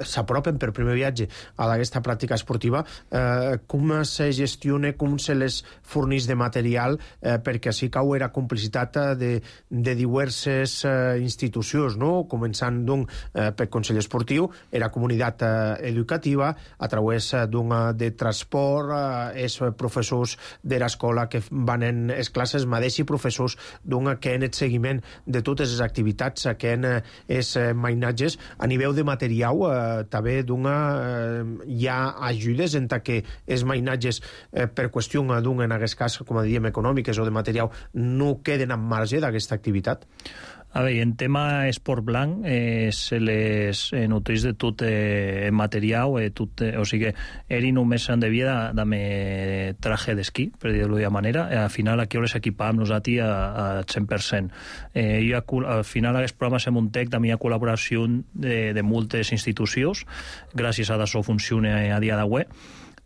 eh, s'apropen per primer viatge a aquesta pràctica esportiva. Eh, com se gestiona, com se les fornís de material, eh, perquè així cau era complicitat de, de diverses eh, institucions, no? Començant d'un eh, per Consell Esportiu, era comunitat eh, educativa, a través d'un de transport, eh, els professors de l'escola que van en les classes, mateix i professors d'un que en el seguiment de totes les activitats, que en els mainatges. A nivell de material, eh, també d'una eh, hi ha ajudes en que els mainatges, eh, per qüestió d'un, en aquest cas, com diem, econòmiques o de material, no queden en marge d'aquesta activitat? A veure, en tema esport blanc, eh, se les eh, nutrís de tot eh, material, eh, tot, eh, o sigui, eri només s'han devia dame traje d'esquí, per dir-ho d'una manera. Eh, al final aquí les equipàvem nosaltres a, a cent per cent. Eh, jo, al final aquest programa se muntec també a col·laboració de, de moltes institucions, gràcies a d'això funciona a dia d'avui.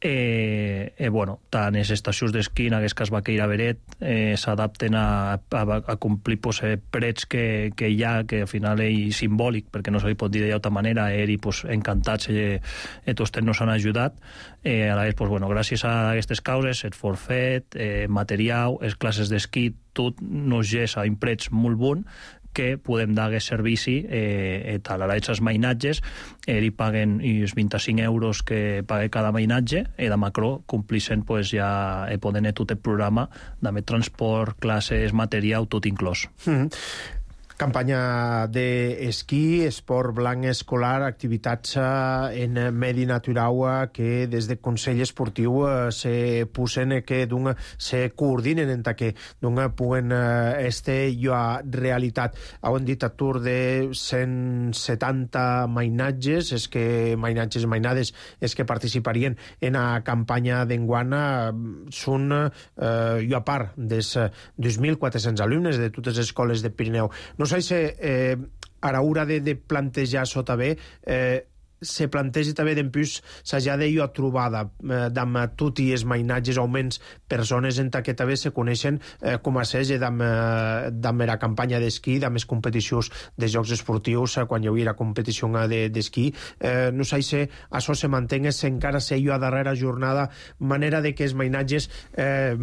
Eh, eh, bueno, tant les estacions d'esquí, en aquest cas Baqueira Beret, eh, s'adapten a, a, a complir pues, eh, prets que, que hi ha, que al final és simbòlic, perquè no se li pot dir d'altra manera, eri pues, encantats, eh, eh, tots nos han ajudat. Eh, a la vegada, pues, bueno, gràcies a aquestes causes, el forfet, eh, material, les classes d'esquí, tot nos gessa en prets molt bon, que podem dar aquest servici eh, tal. Ara els mainatges eh, li paguen els vint-i-cinc euros que paga cada mainatge i de macro complixen pues, ja eh, poden tot el programa de transport, classes, material, tot inclòs. Mm-hmm. Campanya d'esquí, esport blanc escolar, activitats en medi natural que des del Consell Esportiu se posen, que d'un se coordinen en que d'un puguen este jo a realitat. Ho hem dit, atur de cent setanta mainatges, és que mainatges i mainades és que participarien en la campanya d'enguana, són eh, jo a part dels dos mil quatre-cents alumnes de totes les escoles de Pirineu. No sé si eh, a l'hora de, de plantejar sota bé, eh, se plantegi també d'empús s'ha de jo trobada eh, d'amb tot i els mainatges augments persones en que també se coneixen eh, com a sege d'amb eh, la campanya d'esquí, d'amb les competicions de jocs esportius, eh, quan hi havia la competició d'esquí. Eh, no sé si això se mantenga, si encara se jo a darrera jornada, manera de que els mainatges eh,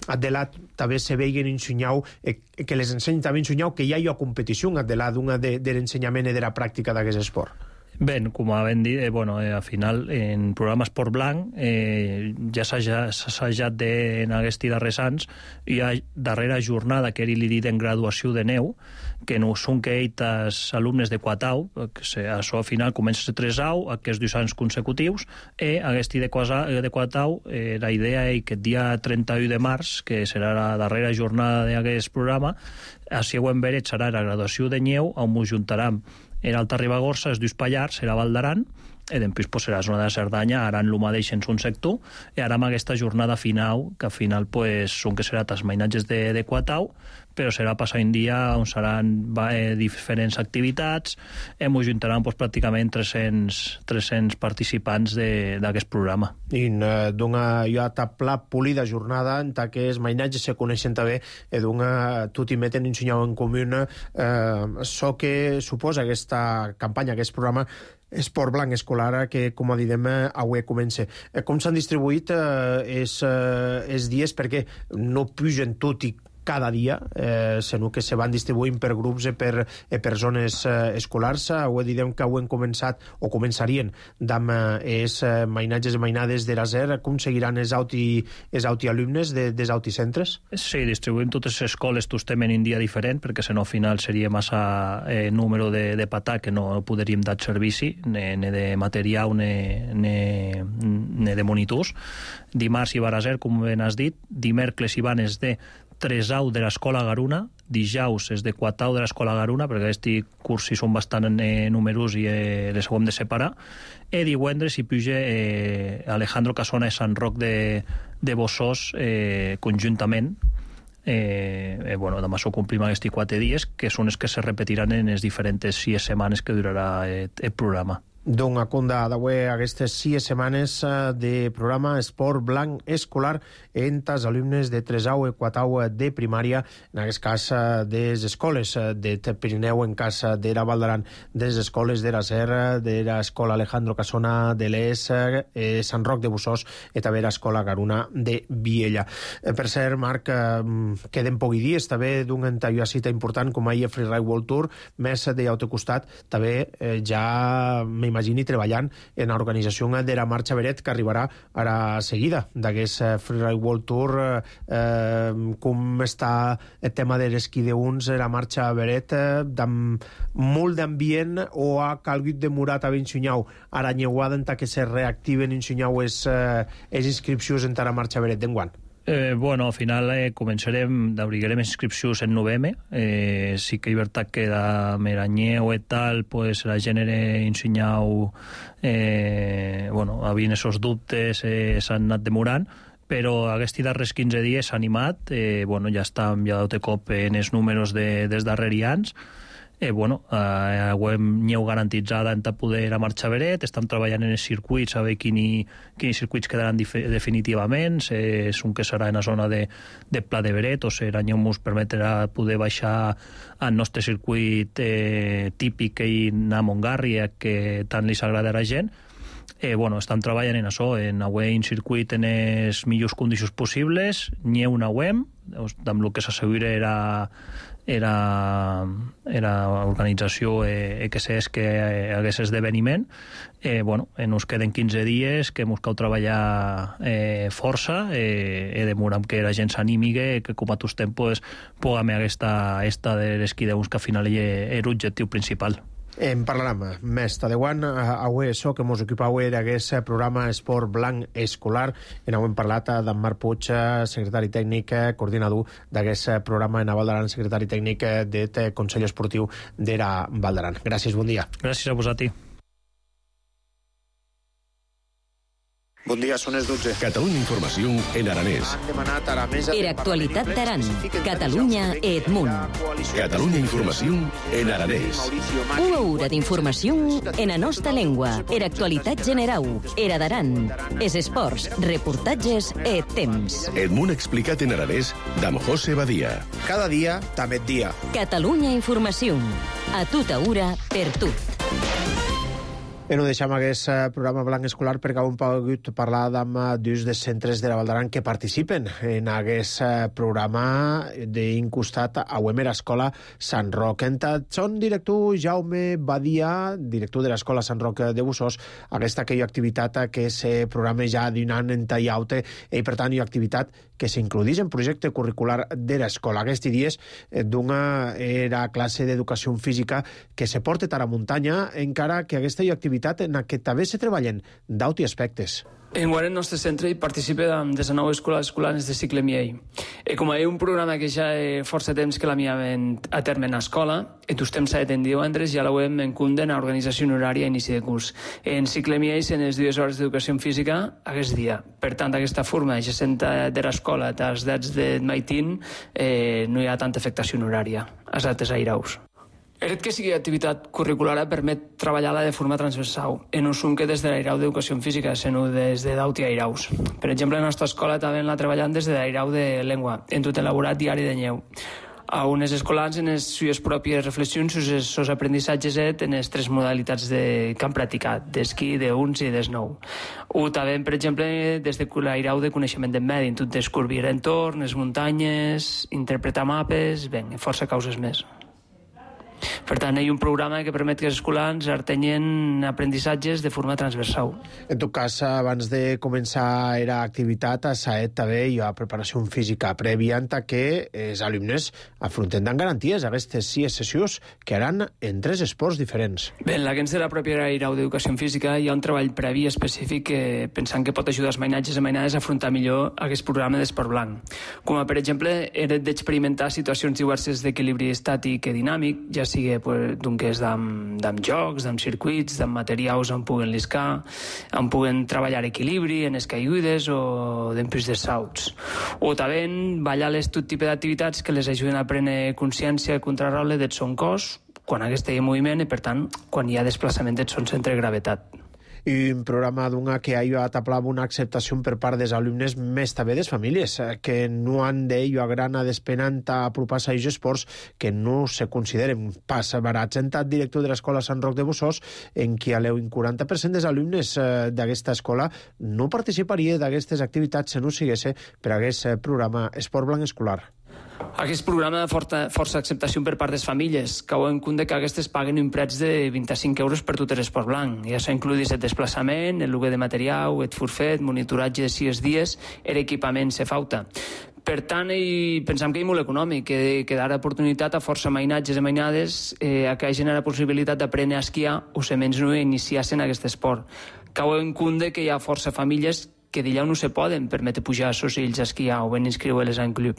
adelat també se veien ensenyau, eh, que les ensenyen també ensenyau que hi ha jo competició adelat d'una de, de l'ensenyament i de la pràctica d'aquest esport. Bé, com vam dir, eh, bueno, eh, al final, en programa Esport Blanc, eh, ja s'ha assajat en aquests darrers anys, hi ha darrera jornada, que li dit en graduació de neu, que no són que eites alumnes de Quatau, que se, això al final comença a ser tres au, aquests dos anys consecutius, i aquest de, de Quatau, eh, la idea és que el dia trenta-u de març, que serà la darrera jornada d'aquest programa, a següent veret serà la graduació de neu, on ens juntarem era Alta Ribagorça, els dos Pallars, era Val d'Aran, i després pues, serà la zona de Cerdanya, ara en el mateix en un sector, i ara amb aquesta jornada final, que al final pues, són que serà els mainatges de, de Quatau, però serà passar un dia on seran eh, diferents activitats, hem juntaran pues, pràcticament tres-cents, tres-cents participants d'aquest programa. I eh, d'una jo a tapla polida jornada en què els mainatges se coneixen també i d'una tot i meten ensenyau en comú eh, això que suposa aquesta campanya, aquest programa Esport Blanc Escolar, que, com direm, avui comença. Com s'han distribuït eh, els eh, dies? Perquè no pugen tot i cada dia, eh, sinó que se van distribuint per grups i per, eh, per zones eh, escolars. Ho direm que ho hem començat, o començarien, amb els eh, mainatges i mainades de la Z E R. Com seguiran els auti, els auti alumnes de, dels auticentres? Sí, distribuïm totes les escoles, tots temen un dia diferent, perquè si no al final seria massa eh, número de, de patà que no podríem dar servici, ni, ni de material ni, ni, ni de monitors. Dimarts hi va a Z E R, com ben has dit, dimecres hi van els de tres au de l'Escola Garuna, dijous és de quatre au de l'Escola Garuna, perquè aquests cursos són bastant eh, numerosos i eh, les hem de separar, i divendres hi puja eh, Alejandro Casona i Sant Roc de, de Bossós eh, conjuntament. Eh, eh, bueno, demà s'ho complim aquests quatre dies, que són els que se repetiran en les diferents sis setmanes que durarà eh, el programa. D'un acunda d'avui aquestes sis setmanes de programa Esport Blanc Escolar entre els alumnes de tresau i quatau de primària, en aquest cas de les escoles de Pirineu, en cas de la Val d'Aran, de les escoles de la Serra, de l'escola Alejandro Casona de l'Es, eh, Sant Roc de Bussós i també l'escola Garuna de Viella. Eh, per cert, Marc, eh, queden pocs dies també d'una cita important com ahir Freeride World Tour, més de l'altre costat també eh, ja m'imagini treballant en l'organització de la Marxa Beret, que arribarà ara seguida d'aquest Freeride World Tour. Eh, com està el tema de l'esquí d'uns, la Marxa Beret, eh, amb molt d'ambient, o ha calgut demorat a Vinsunyau ara nyeuada en que se reactiven en Sunyau les eh, inscripcions en la Marxa Beret d'enguant? Eh, bueno, al final eh, començarem, d'obrigarem inscripcions en novembre. Eh, sí que és veritat que de Meranyeu i tal, pues, la gènere ensenyau, eh, bueno, havien esos dubtes, eh, s'han anat demorant, però aquests darrers quinze dies s'ha animat, eh, bueno, ja estem ja de cop en els números de, dels darrers anys. Eh, bueno, eh, ho hem nyeu garantitzada en poder a Marxa Beret, estem treballant en els circuits, a veure quins quin circuits quedaran definitivament, eh, és un que serà en la zona de, de Pla de Beret, o sigui, l'any ens permetrà poder baixar al nostre circuit eh, típic i anar a Montgarri, que tant li s'agrada a la gent. Eh, bueno, estan treballant en això, en avui un circuit en les millors condicions possibles, n'hi ha una web, amb el que s'assegura era era, era organització eh, que és que hagués esdeveniment. Eh, bueno, ens queden quinze dies que ens cal treballar eh, força, eh, he demorat que la gent s'animi, que com a tots tempos puguem aquesta esta de l'esquí d'uns, que al final és l'objectiu principal. En parlarem més tardeuant. Avui això que ens ocupa avui d'aquest programa Esport Blanc Escolar. En avui hem parlat d'en Marc Puig, secretari tècnic, coordinador d'aquest programa en la Val d'Aran, secretari tècnic del Consell Esportiu de la Val d'Aran. Gràcies, bon dia. Gràcies a vosaltres. Bon dia, són les dotze. Catalunya Informació en aranès. Han demanat a la mesa... Era actualitat d'Aran. Catalunya Edmunt. Catalunya Informació en aranès. Una hora d'informació en la nostra llengua. Era actualitat general. Era d'Aran. És esports, reportatges e temps. Edmunt explicat en aranès d'en José Badia. Cada dia, també dia. Catalunya Informació. A tota hora, per tu. I no deixem aquest programa blanc escolar perquè hem pogut parlar amb dos dels centres de la Val d'Aran que participen en aquest programa d'incostat a Uemer Escola Sant Roc. Són director Jaume Badia, director de l'Escola Sant Roc de Bussós, aquesta que hi ha activitat que se programa ja d'un any en tallaute i per tant hi ha activitat que s'includeix en projecte curricular de l'escola. Aquests dies d'una era classe d'educació física que se porta a la muntanya, encara que aquesta hi ha activitat en què també se treballen d'altres aspectes. Enguany el nostre centre hi participa de desenou escoles escolars de cicle M I A. E com hi ha un programa que ja hi força temps que la miaven a terme en l'escola, en tots temps s'ha de divendres ja la web en cunden a organització horària a inici de curs. En cicle M I A en les dues hores d'educació física aquest dia. Per tant, aquesta forma ja senta de l'escola als dats de maitín eh, no hi ha tanta afectació horària. Els altres airaus. El fet que sigui activitat curricular permet treballar-la de forma transversal, en un sum que des de l'airau d'educació física, sinó des de d'auti airaus. Per exemple, la nostra escola també la treballant des de l'airau de llengua, en tot elaborat diari de nyeu. A unes escolars en les seues pròpies reflexions sobre els seus aprenissatges en les tres modalitats de, que han practicat, d'esquí, d'uns i d'esnou. O també, per exemple, des de l'airau de coneixement del medi, en tot descobrir entorn, les muntanyes, interpretar mapes, ben, força causes més. Per tant, hi ha un programa que permet que els escolars artenyen aprendissatges de forma transversal. En tot cas, abans de començar era activitat, a Saet també hi ha preparació física prèvia que els alumnes afronten amb garanties aquestes sis sessions que haran en tres esports diferents. Bé, en l'agència de la pròpia airau d'educació física hi ha un treball previ específic que pensant que pot ajudar els mainatges i mainades a afrontar millor aquest programa d'esport blanc. Com a, per exemple, era d'experimentar situacions diverses d'equilibri estàtic i dinàmic, ja sigui pues, doncs, d'amb jocs, d'amb circuits, d'amb materials on puguen liscar, on puguen treballar equilibri, en escaigudes o d'empris de salts. O també ballar tot tipus d'activitats que les ajuden a prendre consciència contrarrole del son cos, quan aquest hi ha moviment i, per tant, quan hi ha desplaçament del centre de gravetat. I un programa d'una que ha ajudat a pla una acceptació per part dels alumnes, més també des famílies, que no han d'ello a gran a despenant a apropar-se a aquests esports que no se consideren pas barats. Entat director de l'Escola Sant Roc de Bossós, en qui aleu un quaranta per cent dels alumnes d'aquesta escola no participaria d'aquestes activitats si no sigués per aquest programa Esport Blanc Escolar. Aquest programa de forta, força acceptació per part de les famílies, que ho en compte que aquestes paguen un prets de vint-i-cinc euros per tot l'esport blanc. Ja s'ha includit el desplaçament, el lloguer de material, el forfet, monitoratge de sis dies, l'equipament se falta. Per tant, i pensam que és molt econòmic, que, que darà oportunitat a força mainatges i mainades eh, a que hagin la possibilitat d'aprendre a esquiar o se menys no iniciar-se en aquest esport. Cau en compte que hi ha força famílies que d'allà no se poden permetre pujar a sos fills a esquiar o ben inscriure-les en club.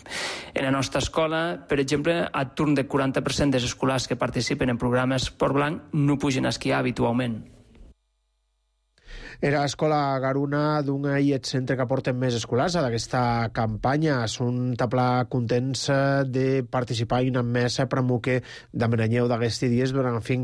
En la nostra escola, per exemple, a turn de quaranta per cent dels escolars que participen en programes Esport Blanc no pugen a esquiar habitualment. Era Escola Garuna d'un aïllet centre que porten més escolars a d'aquesta campanya. Són taplà contents de participar i anar més per que d'amenanyeu d'aquests dies durant el fin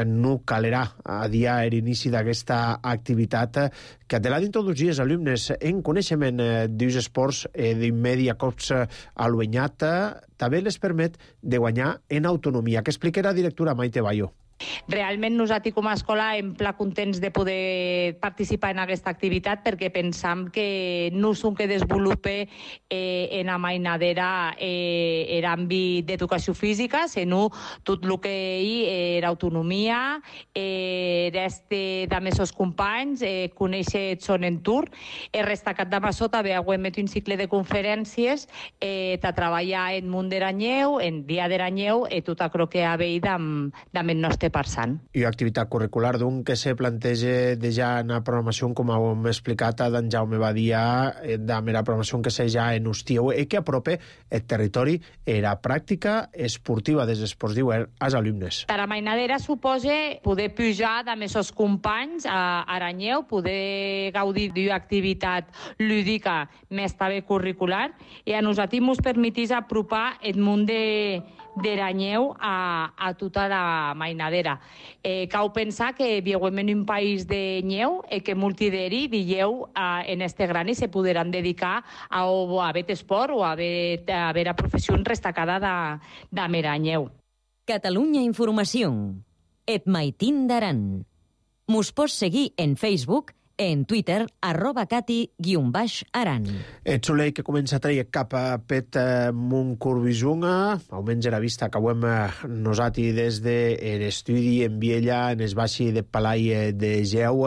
no calerà a dia l'inici d'aquesta activitat que de la d'introduir els alumnes en coneixement dels esports d'immedi a cops a l'uenyat també les permet de guanyar en autonomia, que explica la directora Maite Bayo. Realment nosaltres com a escola hem pla contents de poder participar en aquesta activitat perquè pensam que no és un que desenvolupe eh, en la mainadera eh, l'àmbit d'educació física, sinó tot el que hi era autonomia, eh, d'este de mesos companys, eh, conèixer el son entorn. He destacat de Massó també hem fet un cicle de conferències eh, de treballar en món d'Eranyeu, en dia d'Eranyeu, i tot allò que ha veït amb, amb el nostre passant. I activitat curricular d'un que se planteja de ja en la programació, com hem explicat d'en Jaume Badia, de la programació que se ja en Hostieu, i que aprope el territori i la pràctica esportiva dels esports d'hivern als alumnes. La mainadera suposa poder pujar de més els companys a Aranyeu, poder gaudir d'una activitat lúdica més també curricular, i a nosaltres ens permetís apropar el món de d'Eranyeu a, a tota la mainadera. Eh, cau pensar que vivim en un país de nyeu i que molti d'eri dieu eh, en este gran i se podran dedicar a, o a haver esport o a haver, a haver a professió destacada de, de Meranyeu. Catalunya Informació. Et maitín d'Aran. Mos pots seguir en Facebook, en Twitter, arroba cati guion baix aran. El solei que comença a treure cap a pet eh, Montcorbisunga, almenys era vista que ho hem nosati des de l'estudi en Viella, en es baixi de Palai de Geu,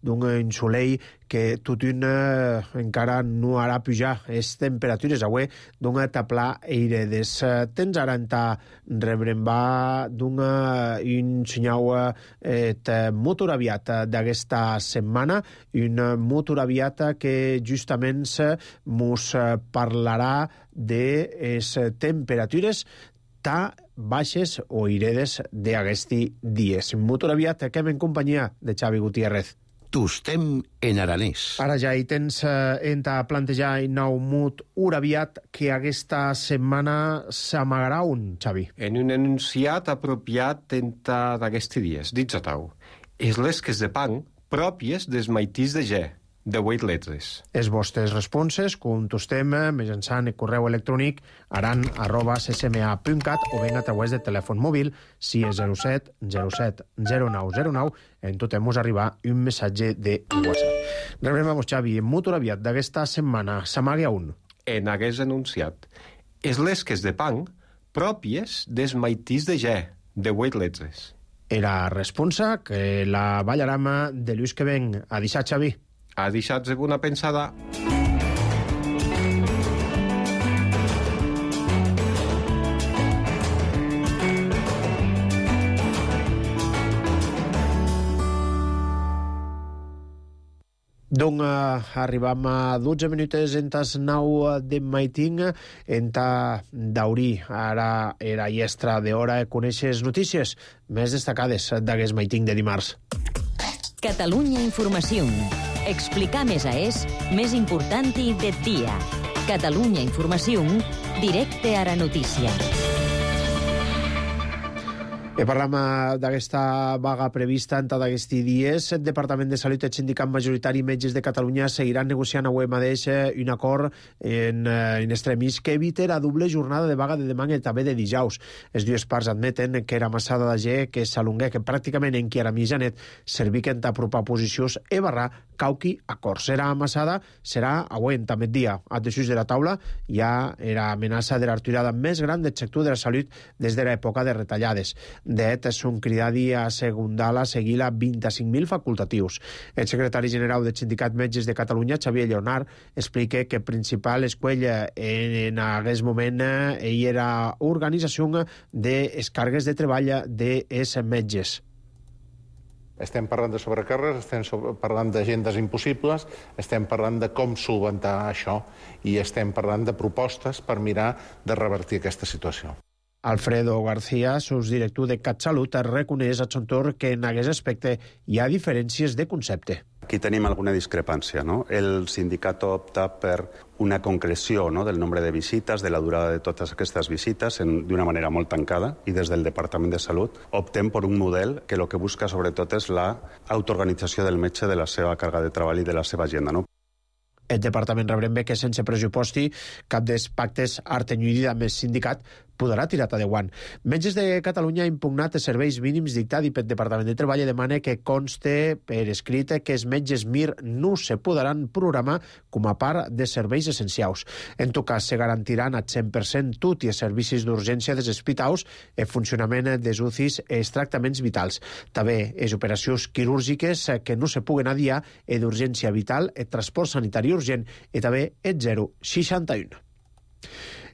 d'un solei que tot un eh, encara no harà pujar les temperatures avui d'un taplà eire des temps aranta rebrembar d'un un senyal eh, motor aviat d'aquesta setmana, un motor aviat que justament mos parlarà de les temperatures tan baixes o iredes d'aquesti dies. Motor aviat que hem en companyia de Xavi Gutiérrez. Tostem en aranès. Ara ja hi tens eh, enta plantejar un nou mut uraviat que aquesta setmana s'amagarà un, Xavi. En un enunciat apropiat enta d'aquests dies, dits a tau. És les que de pan pròpies des maitís de G, de vuit letres. Els vostres responses contestem mitjançant el correu electrònic aran arroba c s m a punt cat o ben a través de telèfon mòbil si és zero set zero set zero nou zero nou en tot mos arribar un missatge de WhatsApp. Rebrem a vos, Xavi, en motor aviat d'aquesta setmana s'amaga un. En hagués anunciat. És les que de pan pròpies des maitís de G, de vuit letres. Era responsa que la ballarama de Lluís Queven. A deixar, Xavi. Ha deixat una pensada. Donc, uh, arribam a dotze minuts en tas nou de maiting en ta d'aurí. Ara era llestra d'hora de conèixer les notícies més destacades d'aquest maiting de dimarts. Catalunya Informació. Explicar més a és més important i de dia. Catalunya Informació, directe a la notícia. E parlam d'aquesta vaga prevista en tots aquests dies. El Departament de Salut i el Sindicat Majoritari Metges de Catalunya seguiran negociant avui mateix un acord en, en extremis que evite la doble jornada de vaga de demà i també de dijous. Les dues parts admeten que era massada de gent que s'alongué, que pràcticament en qui era mitjanet serviquen t'apropar posicions e barrar cauqui acord. Serà amassada, serà avui també dia. A desús de la taula hi ha la amenaça de la retirada més gran del sector de la salut des de l'època de retallades. Det són cridadi a segundar a seguir a vint-i-cinc mil facultatius. El secretari general del Sindicat Metges de Catalunya, Xavier Lleonard, explica que el principal escuella en aquest moment ell era organització de càrregues de treball dels metges. Estem parlant de sobrecàrregues, estem parlant d'agendes impossibles, estem parlant de com solventar això i estem parlant de propostes per mirar de revertir aquesta situació. Alfredo García, subdirector de CatSalut, reconeix a son torn que en aquest aspecte hi ha diferències de concepte. Aquí tenim alguna discrepància, no? El sindicat opta per una concreció, no?, del nombre de visites, de la durada de totes aquestes visites, d'una manera molt tancada, i des del Departament de Salut optem per un model que el que busca sobretot és l'autoorganització del metge de la seva càrrega de treball i de la seva agenda, no? El departament rebrem bé que sense pressuposti cap dels pactes artenyuïda amb el sindicat podrà tirar a deuant. Metges de Catalunya ha impugnat els serveis mínims dictats pel Departament de Treball i demana que conste per escrit que els metges M I R no se podran programar com a part de serveis essencials. En tot cas, se garantiran al cent per cent tot i els servicis d'urgència dels hospitals, el funcionament dels U C Is i els tractaments vitals. També les operacions quirúrgiques que no se puguen adiar, el d'urgència vital, el transport sanitari urgent i també el zero seixanta u.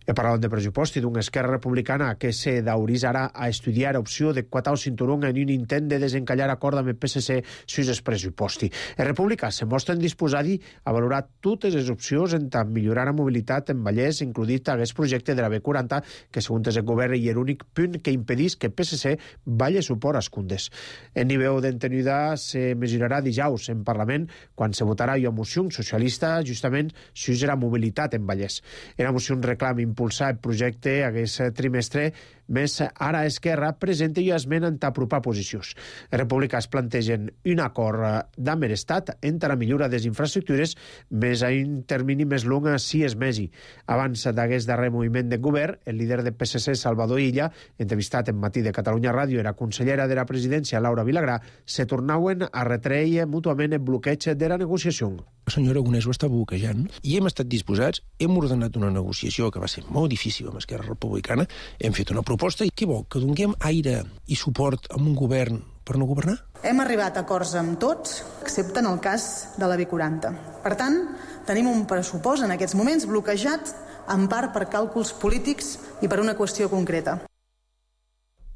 He parlat de pressupost i d'una Esquerra Republicana que se dauritzarà a estudiar opció de quatar el cinturón en un intent de desencallar acord amb el P S C sus el pressuposti. Els republicans se mostren disposats a valorar totes les opcions en tant millorar la mobilitat en Vallès, includit aquest projecte de la B quaranta, que segons el govern és l'únic punt que impedís que el P S C valli suport a Escundes. El nivell d'entenida se mesurarà dijous en Parlament quan se votarà una moció socialista justament sus la mobilitat en Vallès. La moció reclama impulsar el projecte aquest trimestre, més ara Esquerra presenta i esmena en t'apropar posicions. Els republicans plantegen un acord d'amb l'Estat entre la millora de les infraestructures més a un termini més long si és mesi. Abans d'aquest darrer moviment de govern, el líder del P S C, Salvador Illa, entrevistat en Matí de Catalunya Ràdio i la consellera de la presidència, Laura Vilagrà, se tornaven a retreure mútuament el bloqueig de la negociació. El senyor Aragonès ho està bloquejant i hem estat disposats, hem ordenat una negociació que va ser molt difícil amb Esquerra Republicana, hem fet una proposta i què vol? Que donem aire i suport a un govern per no governar? Hem arribat a acords amb tots, excepte en el cas de la B quaranta. Per tant, tenim un pressupost en aquests moments bloquejat en part per càlculs polítics i per una qüestió concreta.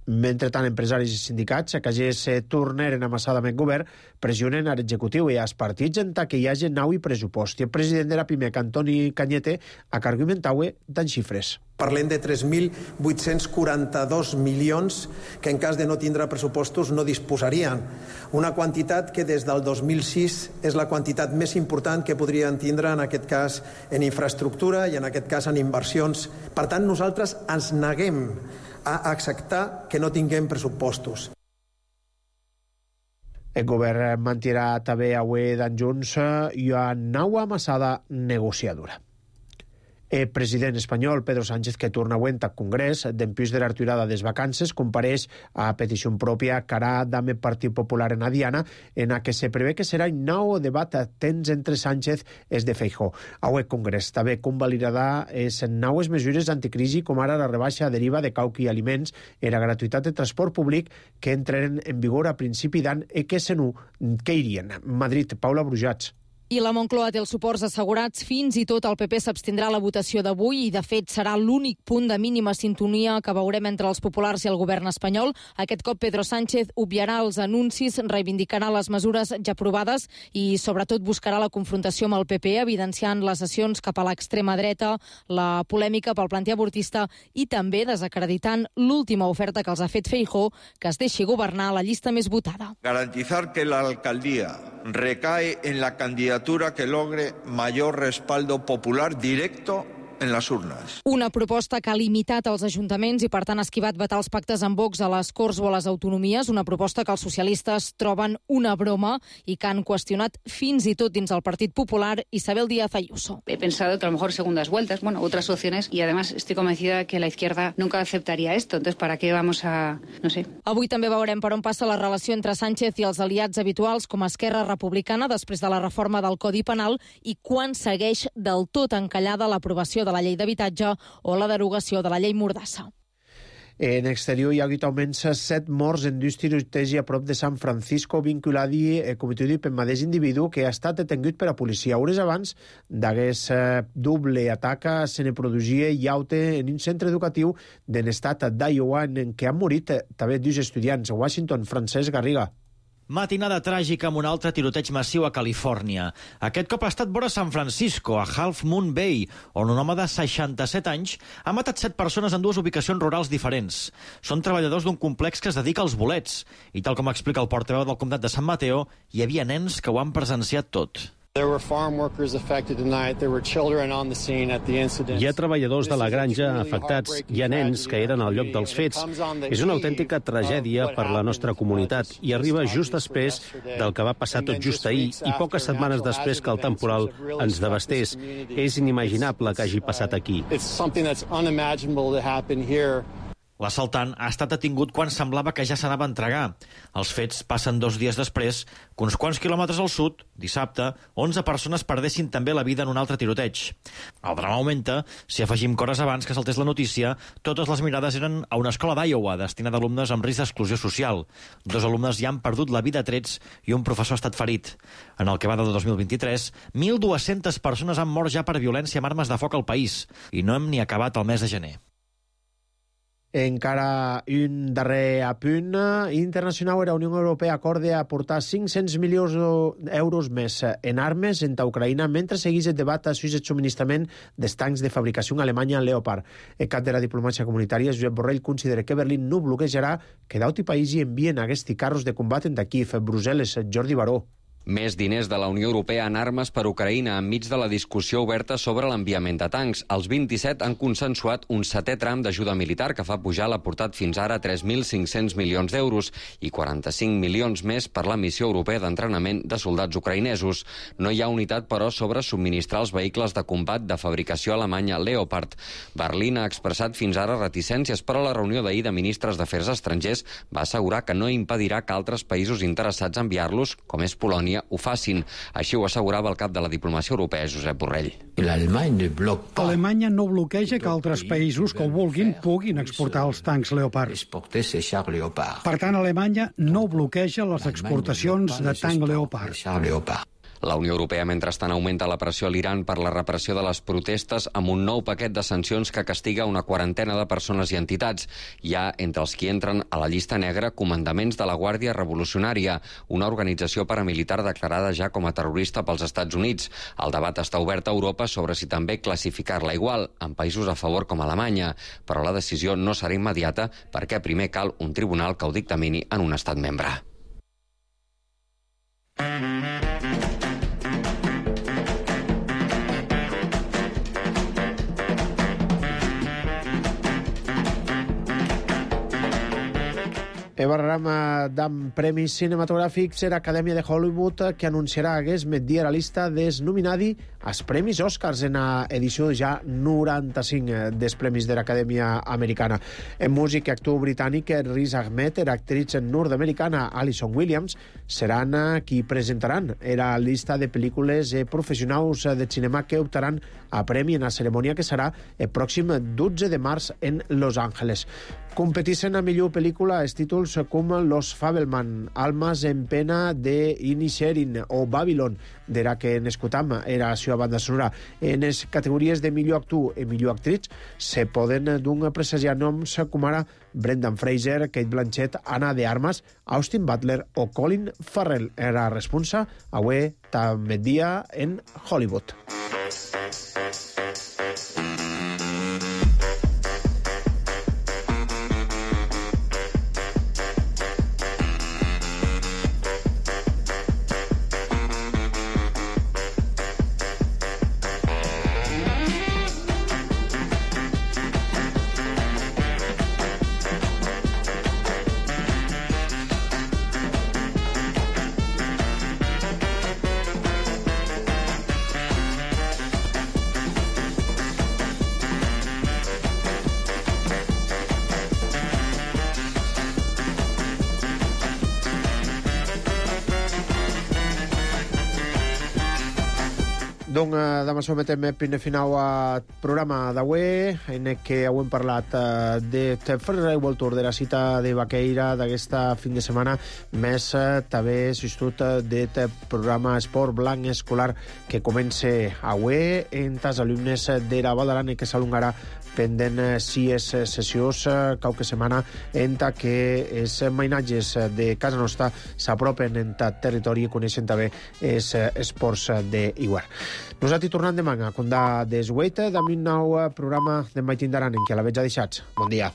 Mentrestant, empresaris i sindicats que ja se tornaren amassadament govern pressionen a l'executiu i als partits en que hi hagi nau i pressupost. I el president de la PIMEC, Antoni Cañete, ha argumentat en xifres. Parlem de tres mil vuit-cents quaranta-dos milions que en cas de no tindre pressupostos no disposarien. Una quantitat que des del dos mil sis és la quantitat més important que podrien tindre en aquest cas en infraestructura i en aquest cas en inversions. Per tant, nosaltres ens neguem a acceptar que no tinguem pressupostos. El govern mantirà també avui d'en Junts i una nova amassada negociadora. El president espanyol, Pedro Sánchez, que torna avui al Congrés, d'empús de la retirada de les vacances, compareix a petició pròpia carà d'amb el Partit Popular en Adiana, en la que se prevé que serà un nou debat tens entre Sánchez i de Feijóo. Avui el Congrés també convalidarà les noves mesures anticrisi, com ara la rebaixa de l'I V A de cauqui i aliments i la gratuïtat de transport públic que entren en vigor a principi d'any i que se no que irien. Madrid, Paula Brujats. I la Moncloa té els suports assegurats, fins i tot el P P s'abstindrà a la votació d'avui i, de fet, serà l'únic punt de mínima sintonia que veurem entre els populars i el govern espanyol. Aquest cop Pedro Sánchez obviarà els anuncis, reivindicarà les mesures ja aprovades i, sobretot, buscarà la confrontació amb el P P, evidenciant les sessions cap a l'extrema dreta, la polèmica pel planter abortista i també desacreditant l'última oferta que els ha fet Feijóo, que es deixi governar la llista més votada. Garantizar que la alcaldía recae en la candidatura que logre mayor respaldo popular directo en las urnas. Una proposta que ha limitat els ajuntaments i, per tant, ha esquivat vetar els pactes amb Vox a les Corts o a les autonomies, una proposta que els socialistes troben una broma i que han qüestionat fins i tot dins el Partit Popular. Isabel Díaz Ayuso. He pensado que a lo mejor segundas vueltas, bueno, otras opciones, y además estoy convencida que la izquierda nunca aceptaría esto. Entonces, ¿para qué vamos a...? No sé. Avui també veurem per on passa la relació entre Sánchez i els aliats habituals com Esquerra Republicana després de la reforma del Codi Penal i quan segueix del tot encallada l'aprovació de la llei d'habitatge o la derogació de la llei Mordassa. En exterior hi ha hagut almenys set morts en dos tirotejos a prop de San Francisco vinculadi, eh, com tu dic, per mateix individu que ha estat detingut per a policia. Hores abans d'aquest eh, doble atac se ne produïa llaute en un centre educatiu de l'estat d'Iowa en què han morit eh, també dos estudiants. A Washington, Francesc Garriga. Matinada tràgica amb un altre tiroteig massiu a Califòrnia. Aquest cop ha estat vora San Francisco, a Half Moon Bay, on un home de seixanta-set anys ha matat set persones en dues ubicacions rurals diferents. Són treballadors d'un complex que es dedica als bolets. I tal com explica el portaveu del comtat de San Mateo, hi havia nens que ho han presenciat tot. There were farm workers affected tonight. There were children on the scene at the incident. Hi ha treballadors de la granja afectats, hi ha nens que eren al lloc dels fets. És una autèntica tragèdia per la nostra comunitat i arriba just després del que va passar tot just ahir i poques setmanes després que el temporal ens devastés. És inimaginable que hagi passat aquí. It's something that's unimaginable to happen here. L'assaltant ha estat detingut quan semblava que ja s'anava a entregar. Els fets passen dos dies després que uns quants quilòmetres al sud, dissabte, onze persones perdessin també la vida en un altre tiroteig. El drama augmenta si afegim que hores abans que saltés la notícia, totes les mirades eren a una escola d'Iowa destinada a alumnes amb risc d'exclusió social. Dos alumnes ja han perdut la vida a trets i un professor ha estat ferit. En el que va de dos mil vint-i-tres, mil dues-centes persones han mort ja per violència amb armes de foc al país i no hem ni acabat el mes de gener. Encara un darrer apunt internacional. La Unió Europea acorda aportar cinc-cents milions d'euros més en armes entre Ucraïna mentre segueix el debat sobre el subministrament dels tancs de fabricació alemanya Leopard. El cap de la diplomàcia comunitària, Josep Borrell, considera que Berlín no bloquejarà que d'autres països envien aquests carros de combat en Kiev. Brussel·les, Jordi Baró. Més diners de la Unió Europea en armes per Ucraïna enmig de la discussió oberta sobre l'enviament de tancs. Els vint-i-set han consensuat un setè tram d'ajuda militar que fa pujar l'aportat fins ara a tres mil cinc-cents milions d'euros i quaranta-cinc milions més per la missió europea d'entrenament de soldats ucraïnesos. No hi ha unitat, però, sobre subministrar els vehicles de combat de fabricació alemanya Leopard. Berlín ha expressat fins ara reticències, però la reunió d'ahir de ministres d'Afers Estrangers va assegurar que no impedirà que altres països interessats a enviar-los, com és Polònia, ho facin. Així ho assegurava el cap de la diplomàcia europea, Josep Borrell. Alemanya no bloqueja que altres països que ho vulguin puguin exportar els tancs Leopard. Per tant, Alemanya no bloqueja les exportacions de tanc Leopard. La Unió Europea, mentrestant, augmenta la pressió a l'Iran per la repressió de les protestes amb un nou paquet de sancions que castiga una quarantena de persones i entitats. Hi ha, entre els que entren a la llista negra, comandaments de la Guàrdia Revolucionària, una organització paramilitar declarada ja com a terrorista pels Estats Units. El debat està obert a Europa sobre si també classificar-la igual, en països a favor com Alemanya, però la decisió no serà immediata perquè primer cal un tribunal que ho dictamini en un estat membre. El barrama d'am premis cinematogràfics era Acadèmia de Hollywood que anunciarà aquest migdia la lista dels nominadi als Premis Oscars en la edició ja noranta-cinc dels Premis de l'Acadèmia Americana. En músic i actor britànic Riz Ahmed, era actriz nord-americana Alison Williams, seran qui presentaran la llista de pel·lícules professionals de cinema que optaran a premi en la cerimònia que serà el pròxim dotze de març en Los Angeles. Competeixen a millor pel·lícula els títols com Los Fabelman, Almas en pena de Inisherin o Babylon, de la que n'escoltam era la seva banda sonora. En les categories de millor actor i millor actriz se poden d'un presagiar noms com ara Brendan Fraser, Kate Blanchett, Ana de Armas, Austin Butler o Colin Farrell. Era responsa avui també dia en Hollywood. Donc, demà sometem primer final al programa d'avui, en què hem parlat de fer el voltor de la cita de Baqueira d'aquesta fin de setmana, més també assistit del programa Esport Blanc Escolar que comença avui en els alumnes de la Val d'Aran i que s'alungarà pendent sis sessions qualque setmana en què els mainatges de casa nostra s'apropen en el territori i coneixen també els esports d'Iguar. Nosaltres tornem demà, com de des vuit, amb un nou programa de Mai Tindaran, en què la veig a deixats. Bon dia.